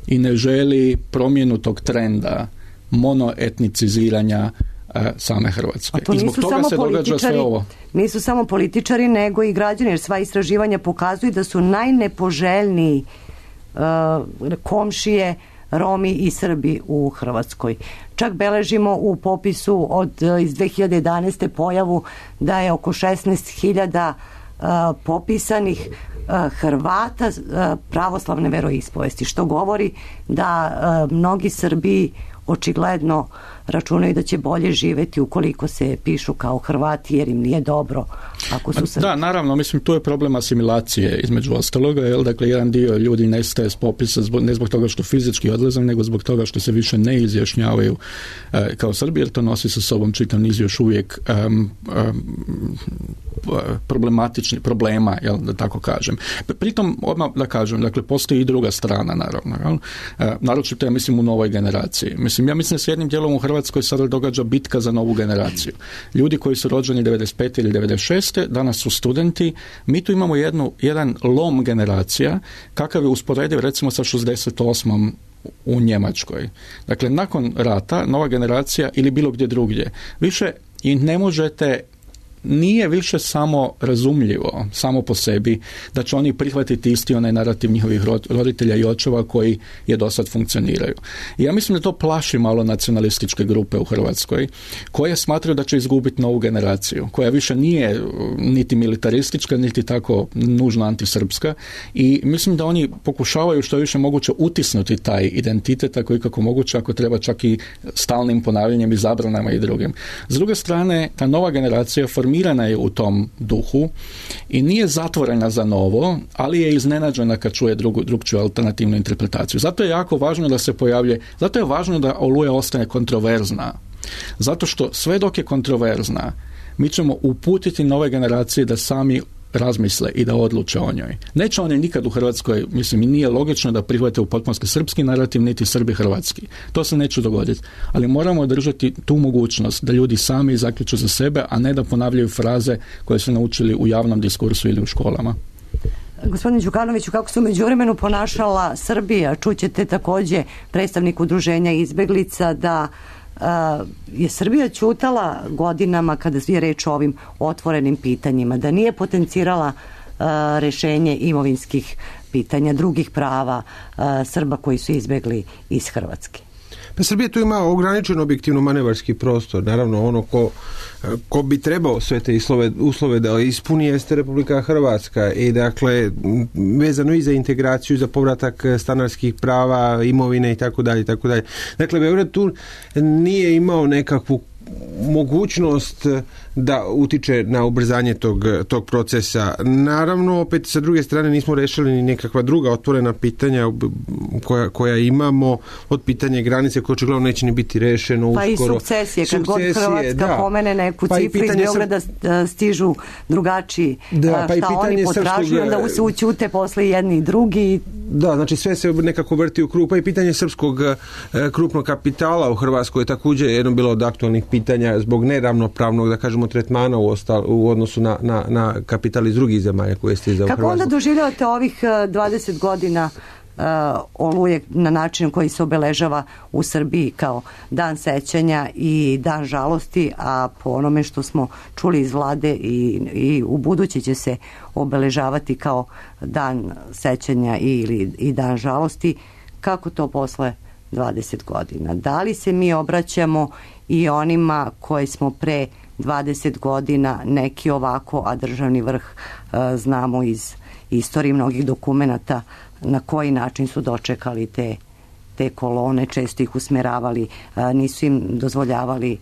i ne želi promjenu tog trenda monoetniciziranja e, same Hrvatske. I zbog toga se događa sve ovo. Nisu samo političari, nego i građani, jer sva istraživanja pokazuju da su najnepoželjniji uh, komšije Romi i Srbi u Hrvatskoj. Čak beležimo u popisu od iz dve hiljade jedanaeste pojavu da je oko šesnaest hiljada uh, popisanih uh, Hrvata uh, pravoslavne veroispovesti, što govori da uh, mnogi Srbi očigledno računaju da će bolje živjeti ukoliko se pišu kao Hrvati jer im nije dobro ako su Srbi. Da, naravno, mislim tu je problem asimilacije između ostaloga, jel, dakle jedan dio ljudi nestaje s popisa zbog, ne zbog toga što fizički odlaze, nego zbog toga što se više ne izjašnjavaju e, kao Srbi, jer to nosi sa sobom čitav niz još uvijek um, um, problematičnih problema, jel, da tako kažem. Pritom, odmah da kažem, dakle postoji i druga strana, naravno, jel, e, naročito ja mislim u novoj generaciji. Mislim, ja mislim da s jednim dijelom u Hrvatskoj sada događa bitka za novu generaciju. Ljudi koji su rođeni devedeset pete ili devedeset šeste danas su studenti. Mi tu imamo jednu, jedan lom generacija kakav je usporediv recimo sa šezdeset osmom u Njemačkoj. Dakle, nakon rata nova generacija ili bilo gdje drugdje više i ne možete, nije više samo razumljivo, samo po sebi, da će oni prihvatiti isti onaj narativ njihovih roditelja i očeva koji je do sad funkcioniraju. I ja mislim da to plaši malo nacionalističke grupe u Hrvatskoj, koje smatraju da će izgubiti novu generaciju, koja više nije niti militaristička, niti tako nužno antisrpska i mislim da oni pokušavaju što je više moguće utisnuti taj identitet, ako i kako moguće, ako treba čak i stalnim ponavljanjem i zabranama i drugim. S druge strane, ta nova generacija formirana je u tom duhu i nije zatvorena za novo, ali je iznenađena kad čuje drugu, drugčiju alternativnu interpretaciju. Zato je jako važno da se pojavlje, zato je važno da Oluja ostane kontroverzna. Zato što sve dok je kontroverzna, mi ćemo uputiti nove generacije da sami razmisle i da odluče o njoj. Neće oni nikad u Hrvatskoj, mislim, i nije logično da prihvate u potpunosti srpski narativ, niti Srbi hrvatski. To se neće dogoditi. Ali moramo održati tu mogućnost da ljudi sami zaključu za sebe, a ne da ponavljaju fraze koje su naučili u javnom diskursu ili u školama. Gospodine Đukanoviću, kako se u međuvremenu ponašala Srbija? Čućete također predstavnik udruženja izbeglica da uh, je Srbija ćutala godinama kada je reč o ovim otvorenim pitanjima, da nije potencirala uh, rešenje imovinskih pitanja, drugih prava uh, Srba koji su izbegli iz Hrvatske. Pa Srbija tu ima ograničen objektivno manevarski prostor. Naravno, ono ko, ko bi trebao sve te uslove, uslove da ispuni jeste Republika Hrvatska i dakle vezano i za integraciju, za povratak stanarskih prava, imovine i tako dalje, tako dalje. Dakle, Beograd tu nije imao nekakvu mogućnost da utiče na ubrzanje tog, tog procesa. Naravno, opet sa druge strane nismo rešili ni nekakva druga otvorena pitanja koja, koja imamo, od pitanja granice koje očigledno neće ni biti rešeno pa uskoro. Pa i sukcesije, kad god Hrvatska da. pomene neku pa cifru iz Beograda stižu drugačiji da, pa šta oni potražuju, onda se ućute posle jedni i drugi. Da, znači sve se nekako vrti u krug. Pa i pitanje srpskog krupnog kapitala u Hrvatskoj je također jedno bilo od aktualnih pitanja zbog neravnopravnog, da kažemo, tretmana u, ostal, u odnosu na, na, na kapital iz drugih zemalja koje ste izdao u Hrvatsku. Kako onda doživljavate ovih dvadeset godina uh, Oluje na način koji se obeležava u Srbiji kao dan sećanja i dan žalosti, a po onome što smo čuli iz vlade i, i u buduće će se obeležavati kao dan sećanja ili i dan žalosti, kako to posle dvadeset godina? Da li se mi obraćamo i onima koji smo pre dvadeset godina neki ovako, a državni vrh e, znamo iz istorije mnogih dokumenata na koji način su dočekali te, te kolone, često ih usmeravali, e, nisu im dozvoljavali, e,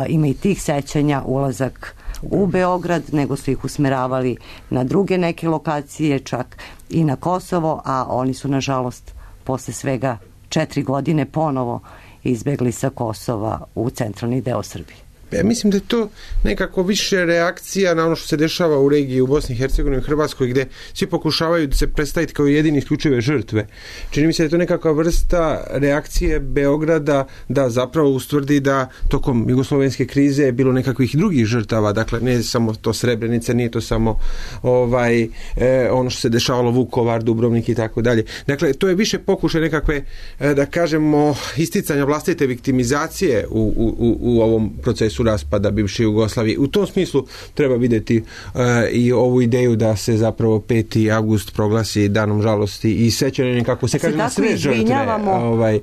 ima i tih sećanja, ulazak u Beograd, nego su ih usmeravali na druge neke lokacije, čak i na Kosovo, a oni su nažalost posle svega četiri godine ponovo izbegli sa Kosova u centralni deo Srbije. Ja mislim da je to nekako više reakcija na ono što se dešava u regiji u Bosni i Hercegovini i Hrvatskoj, gdje svi pokušavaju da se predstaviti kao jedini isključive žrtve. Čini mi se da je to nekakva vrsta reakcije Beograda da zapravo ustvrdi da tokom jugoslovenske krize je bilo nekakvih drugih žrtava, dakle ne samo to Srebrenica, nije to samo ovaj, eh, ono što se dešavalo Vukovar, Dubrovnik i tako dalje. Dakle, to je više pokušaj nekakve, eh, da kažemo, isticanja vlastite viktimizacije u, u, u ovom procesu raspada bivše Jugoslavije. U tom smislu treba vidjeti uh, i ovu ideju da se zapravo peti avgust proglasi danom žalosti i sećanja, kako se kaže, na sve žrtve. Ovaj. Uh,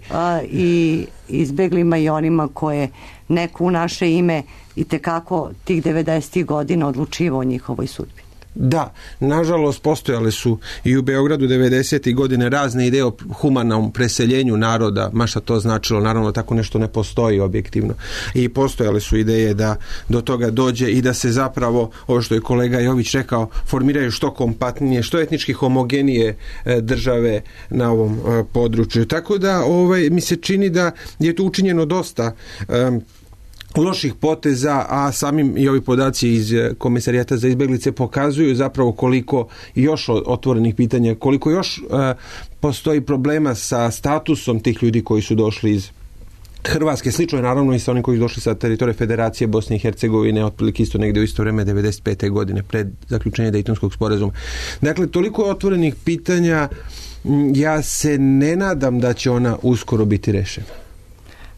i izbeglima i onima koje neko u naše ime i tekako tih devedesetih godina odlučivao o njihovoj sudbi. Da, nažalost postojale su i u Beogradu devedesetih godine razne ideje o humanom preseljenju naroda, ma šta to značilo, naravno tako nešto ne postoji objektivno. I postojale su ideje da do toga dođe i da se zapravo, ovo što je kolega Jović rekao, formiraju što kompaktnije, što etnički homogenije države na ovom području. Tako da ovaj, mi se čini da je tu učinjeno dosta um, loših poteza, a samim i ovi podaci iz Komisarijata za izbeglice pokazuju zapravo koliko još otvorenih pitanja, koliko još uh, postoji problema sa statusom tih ljudi koji su došli iz Hrvatske. Slično je naravno i sa onim koji su došli sa teritorije Federacije Bosne i Hercegovine, otprilike isto negdje u isto vrijeme devedeset pete godine pred zaključenje Dejtonskog sporazuma. Dakle, toliko je otvorenih pitanja, ja se ne nadam da će ona uskoro biti rešena.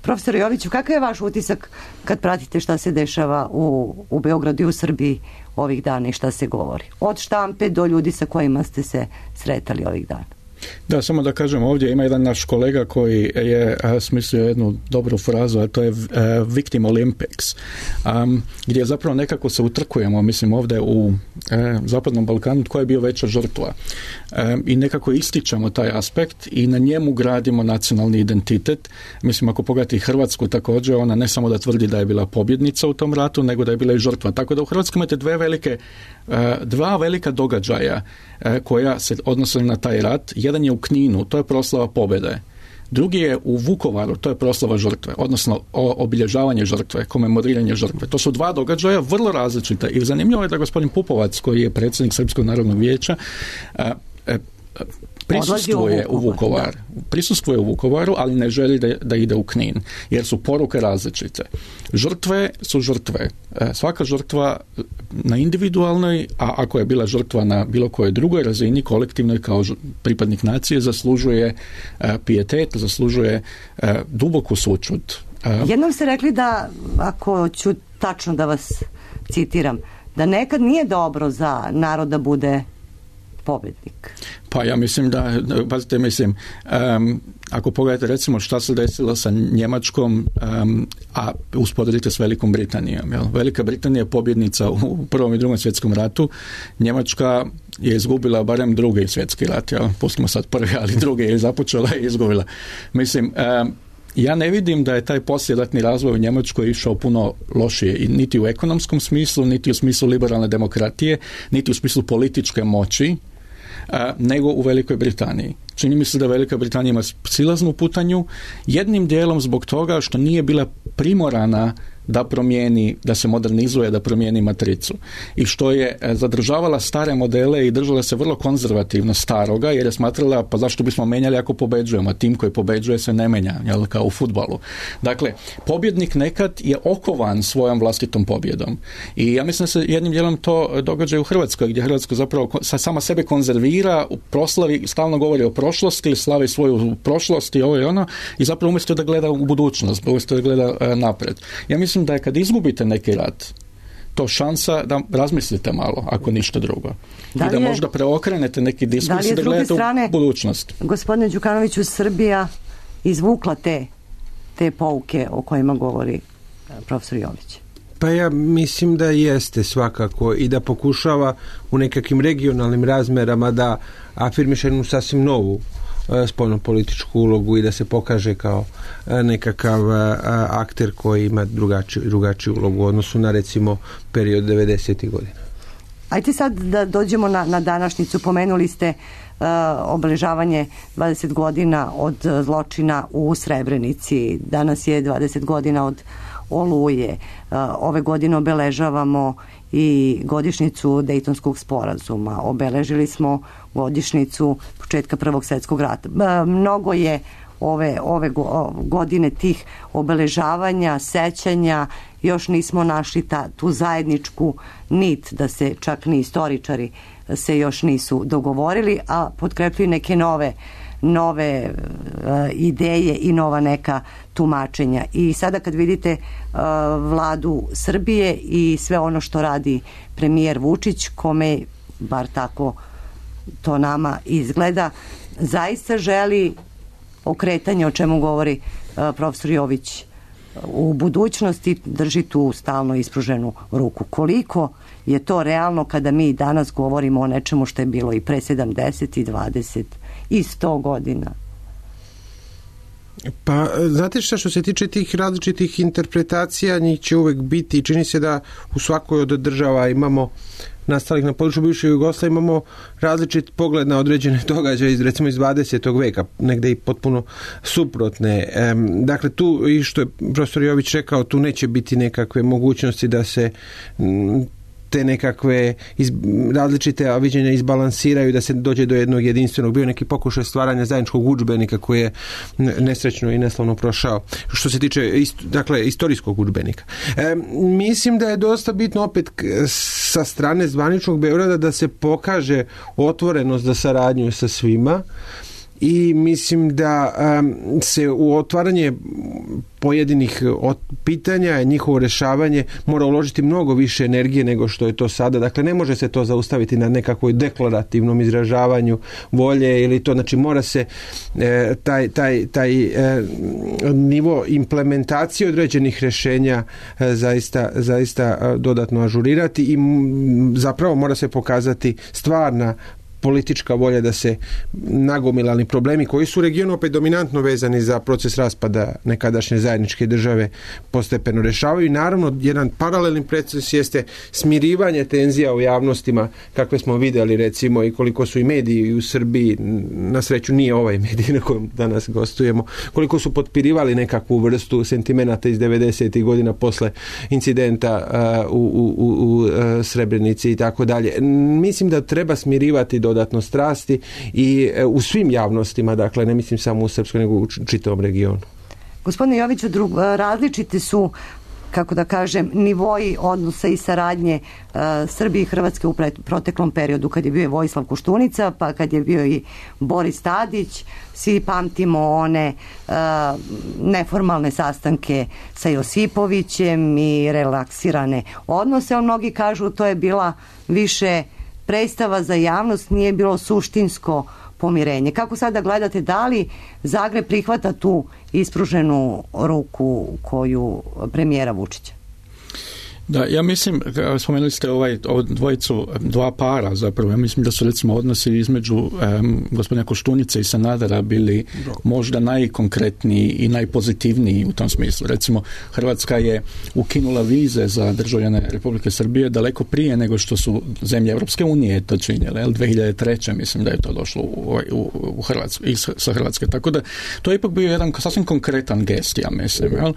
Profesor Joviću, kakav je vaš utisak kad pratite šta se dešava u, u Beogradu i u Srbiji ovih dana i šta se govori? Od štampe do ljudi sa kojima ste se sretali ovih dana. Da, samo da kažem, ovdje ima jedan naš kolega koji je a, smislio jednu dobru frazu, a to je a, Victim Olympics, a, gdje zapravo nekako se utrkujemo, mislim, ovdje u a, Zapadnom Balkanu, tko je bio veća žrtva. A, I nekako ističemo taj aspekt i na njemu gradimo nacionalni identitet. Mislim, ako pogledate Hrvatsku također, ona ne samo da tvrdi da je bila pobjednica u tom ratu, nego da je bila i žrtva. Tako da u Hrvatskoj imate dve velike, a, dva velika događaja a, koja se odnose na taj rat. Jedan je u Kninu, to je proslava pobjede. Drugi je u Vukovaru, to je proslava žrtve, odnosno obilježavanje žrtve, komemoriranje žrtve. To su dva događaja vrlo različita i zanimljivo je da gospodin Pupovac, koji je predsjednik Srpskog narodnog vijeća, prisustvuje u Vukovar. Prisustvuje u Vukovaru, ali ne želi da, da ide u Knin, jer su poruke različite. Žrtve su žrtve. Svaka žrtva na individualnoj, a ako je bila žrtva na bilo kojoj drugoj razini, kolektivnoj kao pripadnik nacije, zaslužuje pijetet, zaslužuje duboku sućut. Jednom ste rekli da, ako ću tačno da vas citiram, da nekad nije dobro za narod da bude pobjednik. Pa ja mislim da, pazite, mislim, um, ako pogledate recimo šta se desilo sa Njemačkom, um, a usporedite s Velikom Britanijom. Jel? Velika Britanija je pobjednica u Prvom i Drugom svjetskom ratu, Njemačka je izgubila barem drugi svjetski rat, jel? Pustimo sad prvi, ali drugi je započela i izgubila. Mislim, um, ja ne vidim da je taj poslijeratni razvoj u Njemačkoj išao puno lošije, i niti u ekonomskom smislu, niti u smislu liberalne demokratije, niti u smislu političke moći, a, nego u Velikoj Britaniji. Čini mi se da Velika Britanija ima silaznu putanju, jednim dijelom zbog toga što nije bila primorana da promijeni, da se modernizuje, da promijeni matricu. I što je zadržavala stare modele i držala se vrlo konzervativno staroga, jer je smatrala, pa zašto bismo menjali ako pobeđujemo? Tim koji pobeđuje se ne menja, jel, kao u fudbalu. Dakle, pobjednik nekad je okovan svojom vlastitom pobjedom. I ja mislim da se jednim dijelom to događa i u Hrvatskoj, gdje Hrvatska zapravo sama sebe konzervira, u proslavi, stalno govori o prošlosti, slavi svoju prošlost i ovo i ono, i zapravo umjesto da gleda u budućnost, umjesto da gleda e, napred. Ja mislim da je kad izgubite neki rat, to šansa da razmislite malo, ako ništa drugo. Da I da je, možda preokrenete neki diskurs i da, da gledate strane, u budućnost. Gospodine Đukanoviću, Srbija izvukla te, te pouke o kojima govori profesor Jović? Pa ja mislim da jeste svakako, i da pokušava u nekakvim regionalnim razmerama da afirmiše jednu sasvim novu spoljnopolitičku ulogu i da se pokaže kao nekakav akter koji ima drugačiju, drugačiju ulogu u odnosu na, recimo, period devedesetih godina. Ajde sad da dođemo na, na današnjicu. Pomenuli ste uh, obeležavanje dvadeset godina od zločina u Srebrenici. Danas je dvadeset godina od Oluje. Uh, ove godine obeležavamo i godišnjicu Dejtonskog sporazuma. Obeležili smo godišnjicu početka Prvog svjetskog rata. Mnogo je ove, ove godine tih obeležavanja, sećanja, još nismo našli ta, tu zajedničku nit, da se čak ni istoričari se još nisu dogovorili, a potkrepljuju neke nove nove uh, ideje i nova neka tumačenja. I sada kad vidite uh, vladu Srbije i sve ono što radi premijer Vučić, kome, bar tako to nama izgleda, zaista želi okretanje, o čemu govori uh, profesor Jović, u budućnosti, drži tu stalno ispruženu ruku. Koliko je to realno kada mi danas govorimo o nečemu što je bilo i pre sedamdeset i dvadeset i sto godina? Pa, znate šta, što se tiče tih različitih interpretacija, njih će uvek biti, i čini se da u svakoj od država imamo nastalih na području bivše Jugoslavije, imamo različit pogled na određene događaje iz, recimo, iz dvadesetog veka, negde i potpuno suprotne. E, dakle, tu, i što je profesor Jović rekao, tu neće biti nekakve mogućnosti da se m, te nekakve iz, različite viđenja izbalansiraju, da se dođe do jednog jedinstvenog. Bio neki pokušaj stvaranja zajedničkog udžbenika koji je nesrećno i neslavno prošao. Što se tiče ist, dakle, istorijskog udžbenika. E, mislim da je dosta bitno opet sa strane zvaničnog Beograda da se pokaže otvorenost za saradnju sa svima, i mislim da um, se u otvaranje pojedinih od pitanja, njihovo rešavanje mora uložiti mnogo više energije nego što je to sada. Dakle, ne može se to zaustaviti na nekakvoj deklarativnom izražavanju volje ili to, znači mora se e, taj, taj, taj e, nivo implementacije određenih rešenja e, zaista, zaista dodatno ažurirati, i m, zapravo mora se pokazati stvarna politička volja da se nagomilani problemi koji su u regionu opet dominantno vezani za proces raspada nekadašnje zajedničke države postepeno rješavaju i naravno jedan paralelni proces jeste smirivanje tenzija u javnostima kakve smo vidjeli recimo i koliko su i mediji u Srbiji, na sreću nije ovaj medij na kojem danas gostujemo, koliko su potpirivali nekakvu vrstu sentimenata iz devedesetih godina posle incidenta uh, u, u, u, u uh, Srebrenici i tako dalje. Mislim da treba smirivati dodatno strasti i uh, u svim javnostima, dakle ne mislim samo u Srpskoj nego u čitavom regionu. Gospodine Joviću, drug, različiti su, kako da kažem, nivoji odnosa i saradnje uh, Srbije i Hrvatske u pre, proteklom periodu, kad je bio Vojislav Koštunica, pa kad je bio i Boris Tadić. Svi pamtimo one uh, neformalne sastanke sa Josipovićem i relaksirane odnose, a mnogi kažu to je bila više predstava za javnost, nije bilo suštinsko pomirenje. Kako sada gledate, da li Zagreb prihvata tu ispruženu ruku koju premijera Vučića? Da, ja mislim, spomenuli ste ovaj, ovaj dvojicu, dva para zapravo, ja mislim da su recimo odnosi između um, gospodina Koštunice i Sanadera bili možda najkonkretniji i najpozitivniji u tom smislu. Recimo, Hrvatska je ukinula vize za državljane Republike Srbije daleko prije nego što su zemlje Europske unije to činjele. dvije hiljade treće mislim da je to došlo u, u, u Hrvatsku, i sa Hrvatske. Tako da, to je ipak bio jedan sasvim konkretan gest, ja mislim. Jel?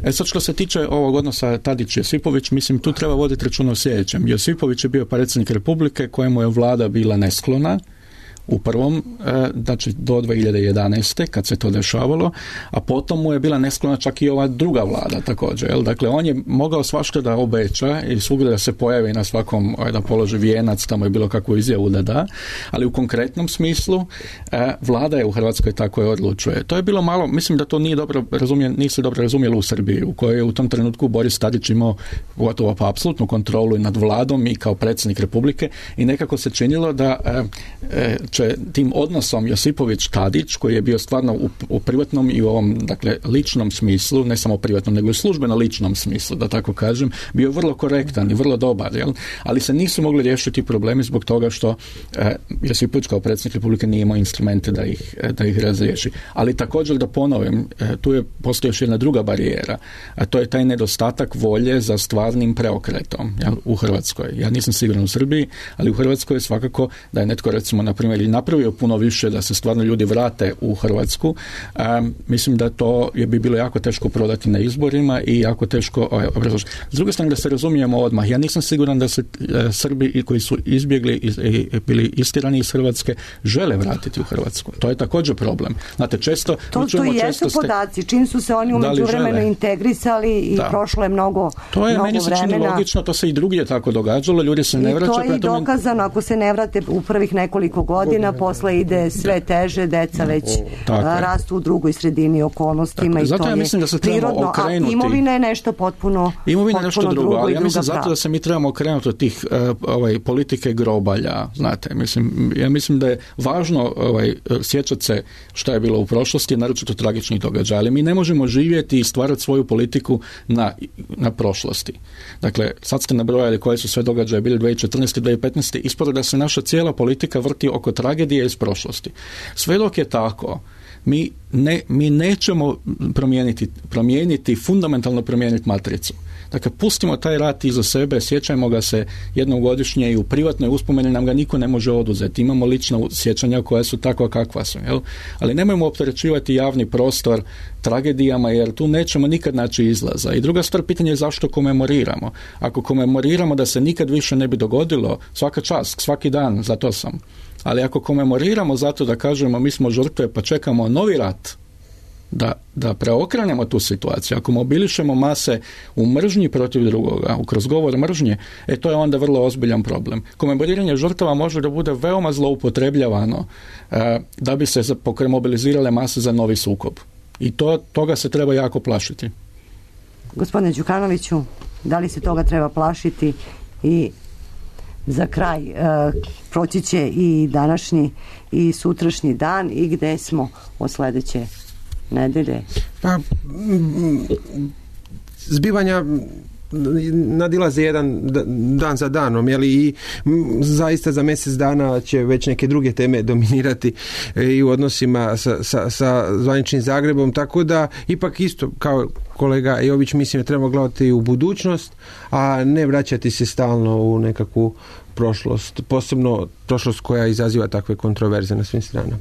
E sad, što se tiče ovog odnosa Tadić-Josipović, mislim, tu treba voditi računa o sljedećem. Josipović je bio predsjednik Republike kojemu je vlada bila nesklona u prvom, znači do dvije hiljade jedanaeste kad se to dešavalo, a potom mu je bila nesklona čak i ova druga vlada također. Jel? Dakle, on je mogao svašta da obeća i svugdje da se pojavi na svakom, da položi vijenac, tamo je bilo kakvu izjavu da da, ali u konkretnom smislu vlada je u Hrvatskoj tako je odlučuje. To je bilo malo, mislim da to nije dobro razumijen, nisu dobro razumjeli u Srbiji, u kojoj je u tom trenutku Boris Tadić imao gotovo pa apsolutnu kontrolu i nad vladom i kao predsjednik Republike i nekako se činilo da e, će tim odnosom Josipović-Tadić, koji je bio stvarno u, u privatnom i u ovom, dakle, ličnom smislu, ne samo privatnom, nego i službeno ličnom smislu, da tako kažem, bio vrlo korektan i vrlo dobar, jel? Ali se nisu mogli riješiti problemi zbog toga što e, Josipović kao predsjednik Republike nije imao instrumente da ih, da ih razriješi. Ali također da ponovim, e, tu je postoji još jedna druga barijera, a to je taj nedostatak volje za stvarnim preokretom, jel, u Hrvatskoj. Ja nisam siguran u Srbiji, ali u Hrvatskoj je svakako da je netko, recimo, na primjer, i napravio puno više da se stvarno ljudi vrate u Hrvatsku. Um, mislim da to je bi bilo jako teško prodati na izborima i jako teško obrazložiti. S druge strane, da se razumijemo odmah, ja nisam siguran da se uh, Srbi koji su izbjegli i, i bili istirani iz Hrvatske žele vratiti u Hrvatsku. To je također problem. Znate, često to, to i jesu podaci, čim su se oni u međuvremenu integrisali i da. Prošlo je mnogo to je mnogo meni se čini vremena. Logično, to se i drugdje tako događalo, ljudi se ne vraćaju. I to je i dokazano, ako se ne vrate u prvih nekoliko godina, posle ide sve teže, deca već a, rastu u drugoj sredini okolnostima. Tako, i zato to ja mislim da se prirodno, okrenuti. A imovina je nešto potpuno imovina je nešto drugo, drugo, ali ja mislim zato prava. Da se mi trebamo okrenuti od tih uh, ovaj, politike grobalja, znate, mislim, ja mislim da je važno ovaj, sjećati se šta je bilo u prošlosti, naročito tragičnih događaja, ali mi ne možemo živjeti i stvarati svoju politiku na, na prošlosti. Dakle, sad ste nabrojali koje su sve događaje bili dvije tisuće četrnaeste. dvije tisuće petnaeste. Ispod da se naša cijela politika vrti oko tragedije iz prošlosti. Sve dok je tako, mi, ne, mi nećemo promijeniti, promijeniti, fundamentalno promijeniti matricu. Dakle, pustimo taj rat iza sebe, sjećajmo ga se jednom godišnje i u privatnoj uspomeni nam ga niko ne može oduzeti. Imamo lična sjećanja koja su takva kakva su. Jel? Ali nemojmo opterećivati javni prostor tragedijama, jer tu nećemo nikad naći izlaza. I druga stvar, pitanje je zašto komemoriramo. Ako komemoriramo da se nikad više ne bi dogodilo, svaka čast, svaki dan, za to sam. Ali ako komemoriramo zato da kažemo mi smo žrtve pa čekamo novi rat, da, da preokrenemo tu situaciju, ako mobilišemo mase u mržnji protiv drugoga, kroz govor mržnje, e to je onda vrlo ozbiljan problem. Komemoriranje žrtava može da bude veoma zloupotrebljavano e, da bi se mobilizirale mase za novi sukob. I to, toga se treba jako plašiti. Gospodine Đukanoviću, da li se toga treba plašiti? I za kraj, e, proći će i današnji i sutrašnji dan i gde smo od sledeće nedelje? Pa, zbivanja nadilaze jedan dan za danom, jeli, i zaista za mjesec dana će već neke druge teme dominirati i u odnosima sa, sa, sa zvaničnim Zagrebom, tako da ipak isto kao kolega Jović mislim da treba gledati u budućnost, a ne vraćati se stalno u nekakvu prošlost, posebno prošlost koja izaziva takve kontroverze na svim stranama.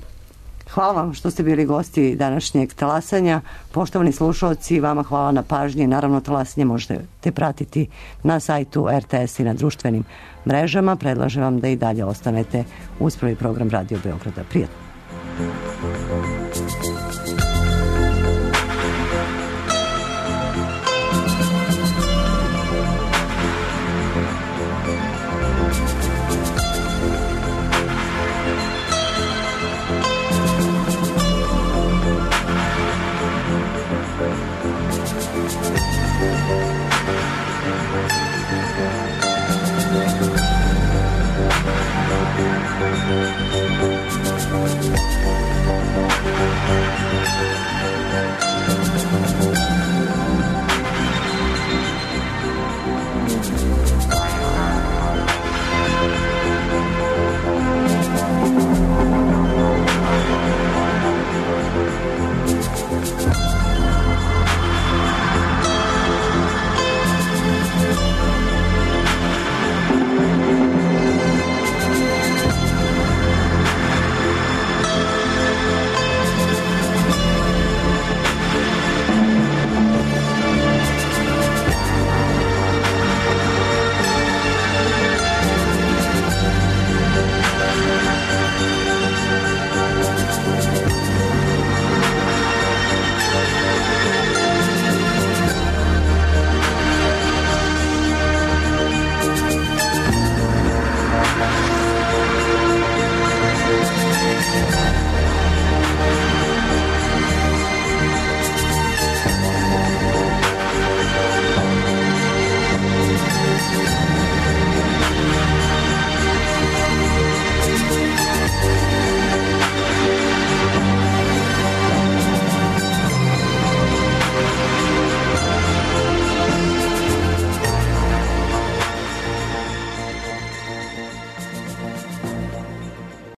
Hvala vam što ste bili gosti današnjeg talasanja. Poštovani slušalci, vama hvala na pažnji. Naravno, talasanje možete te pratiti na sajtu R T S i na društvenim mrežama. Predlažem vam da i dalje ostanete uz prvi program Radio Beograda. Prijatno. Thank you.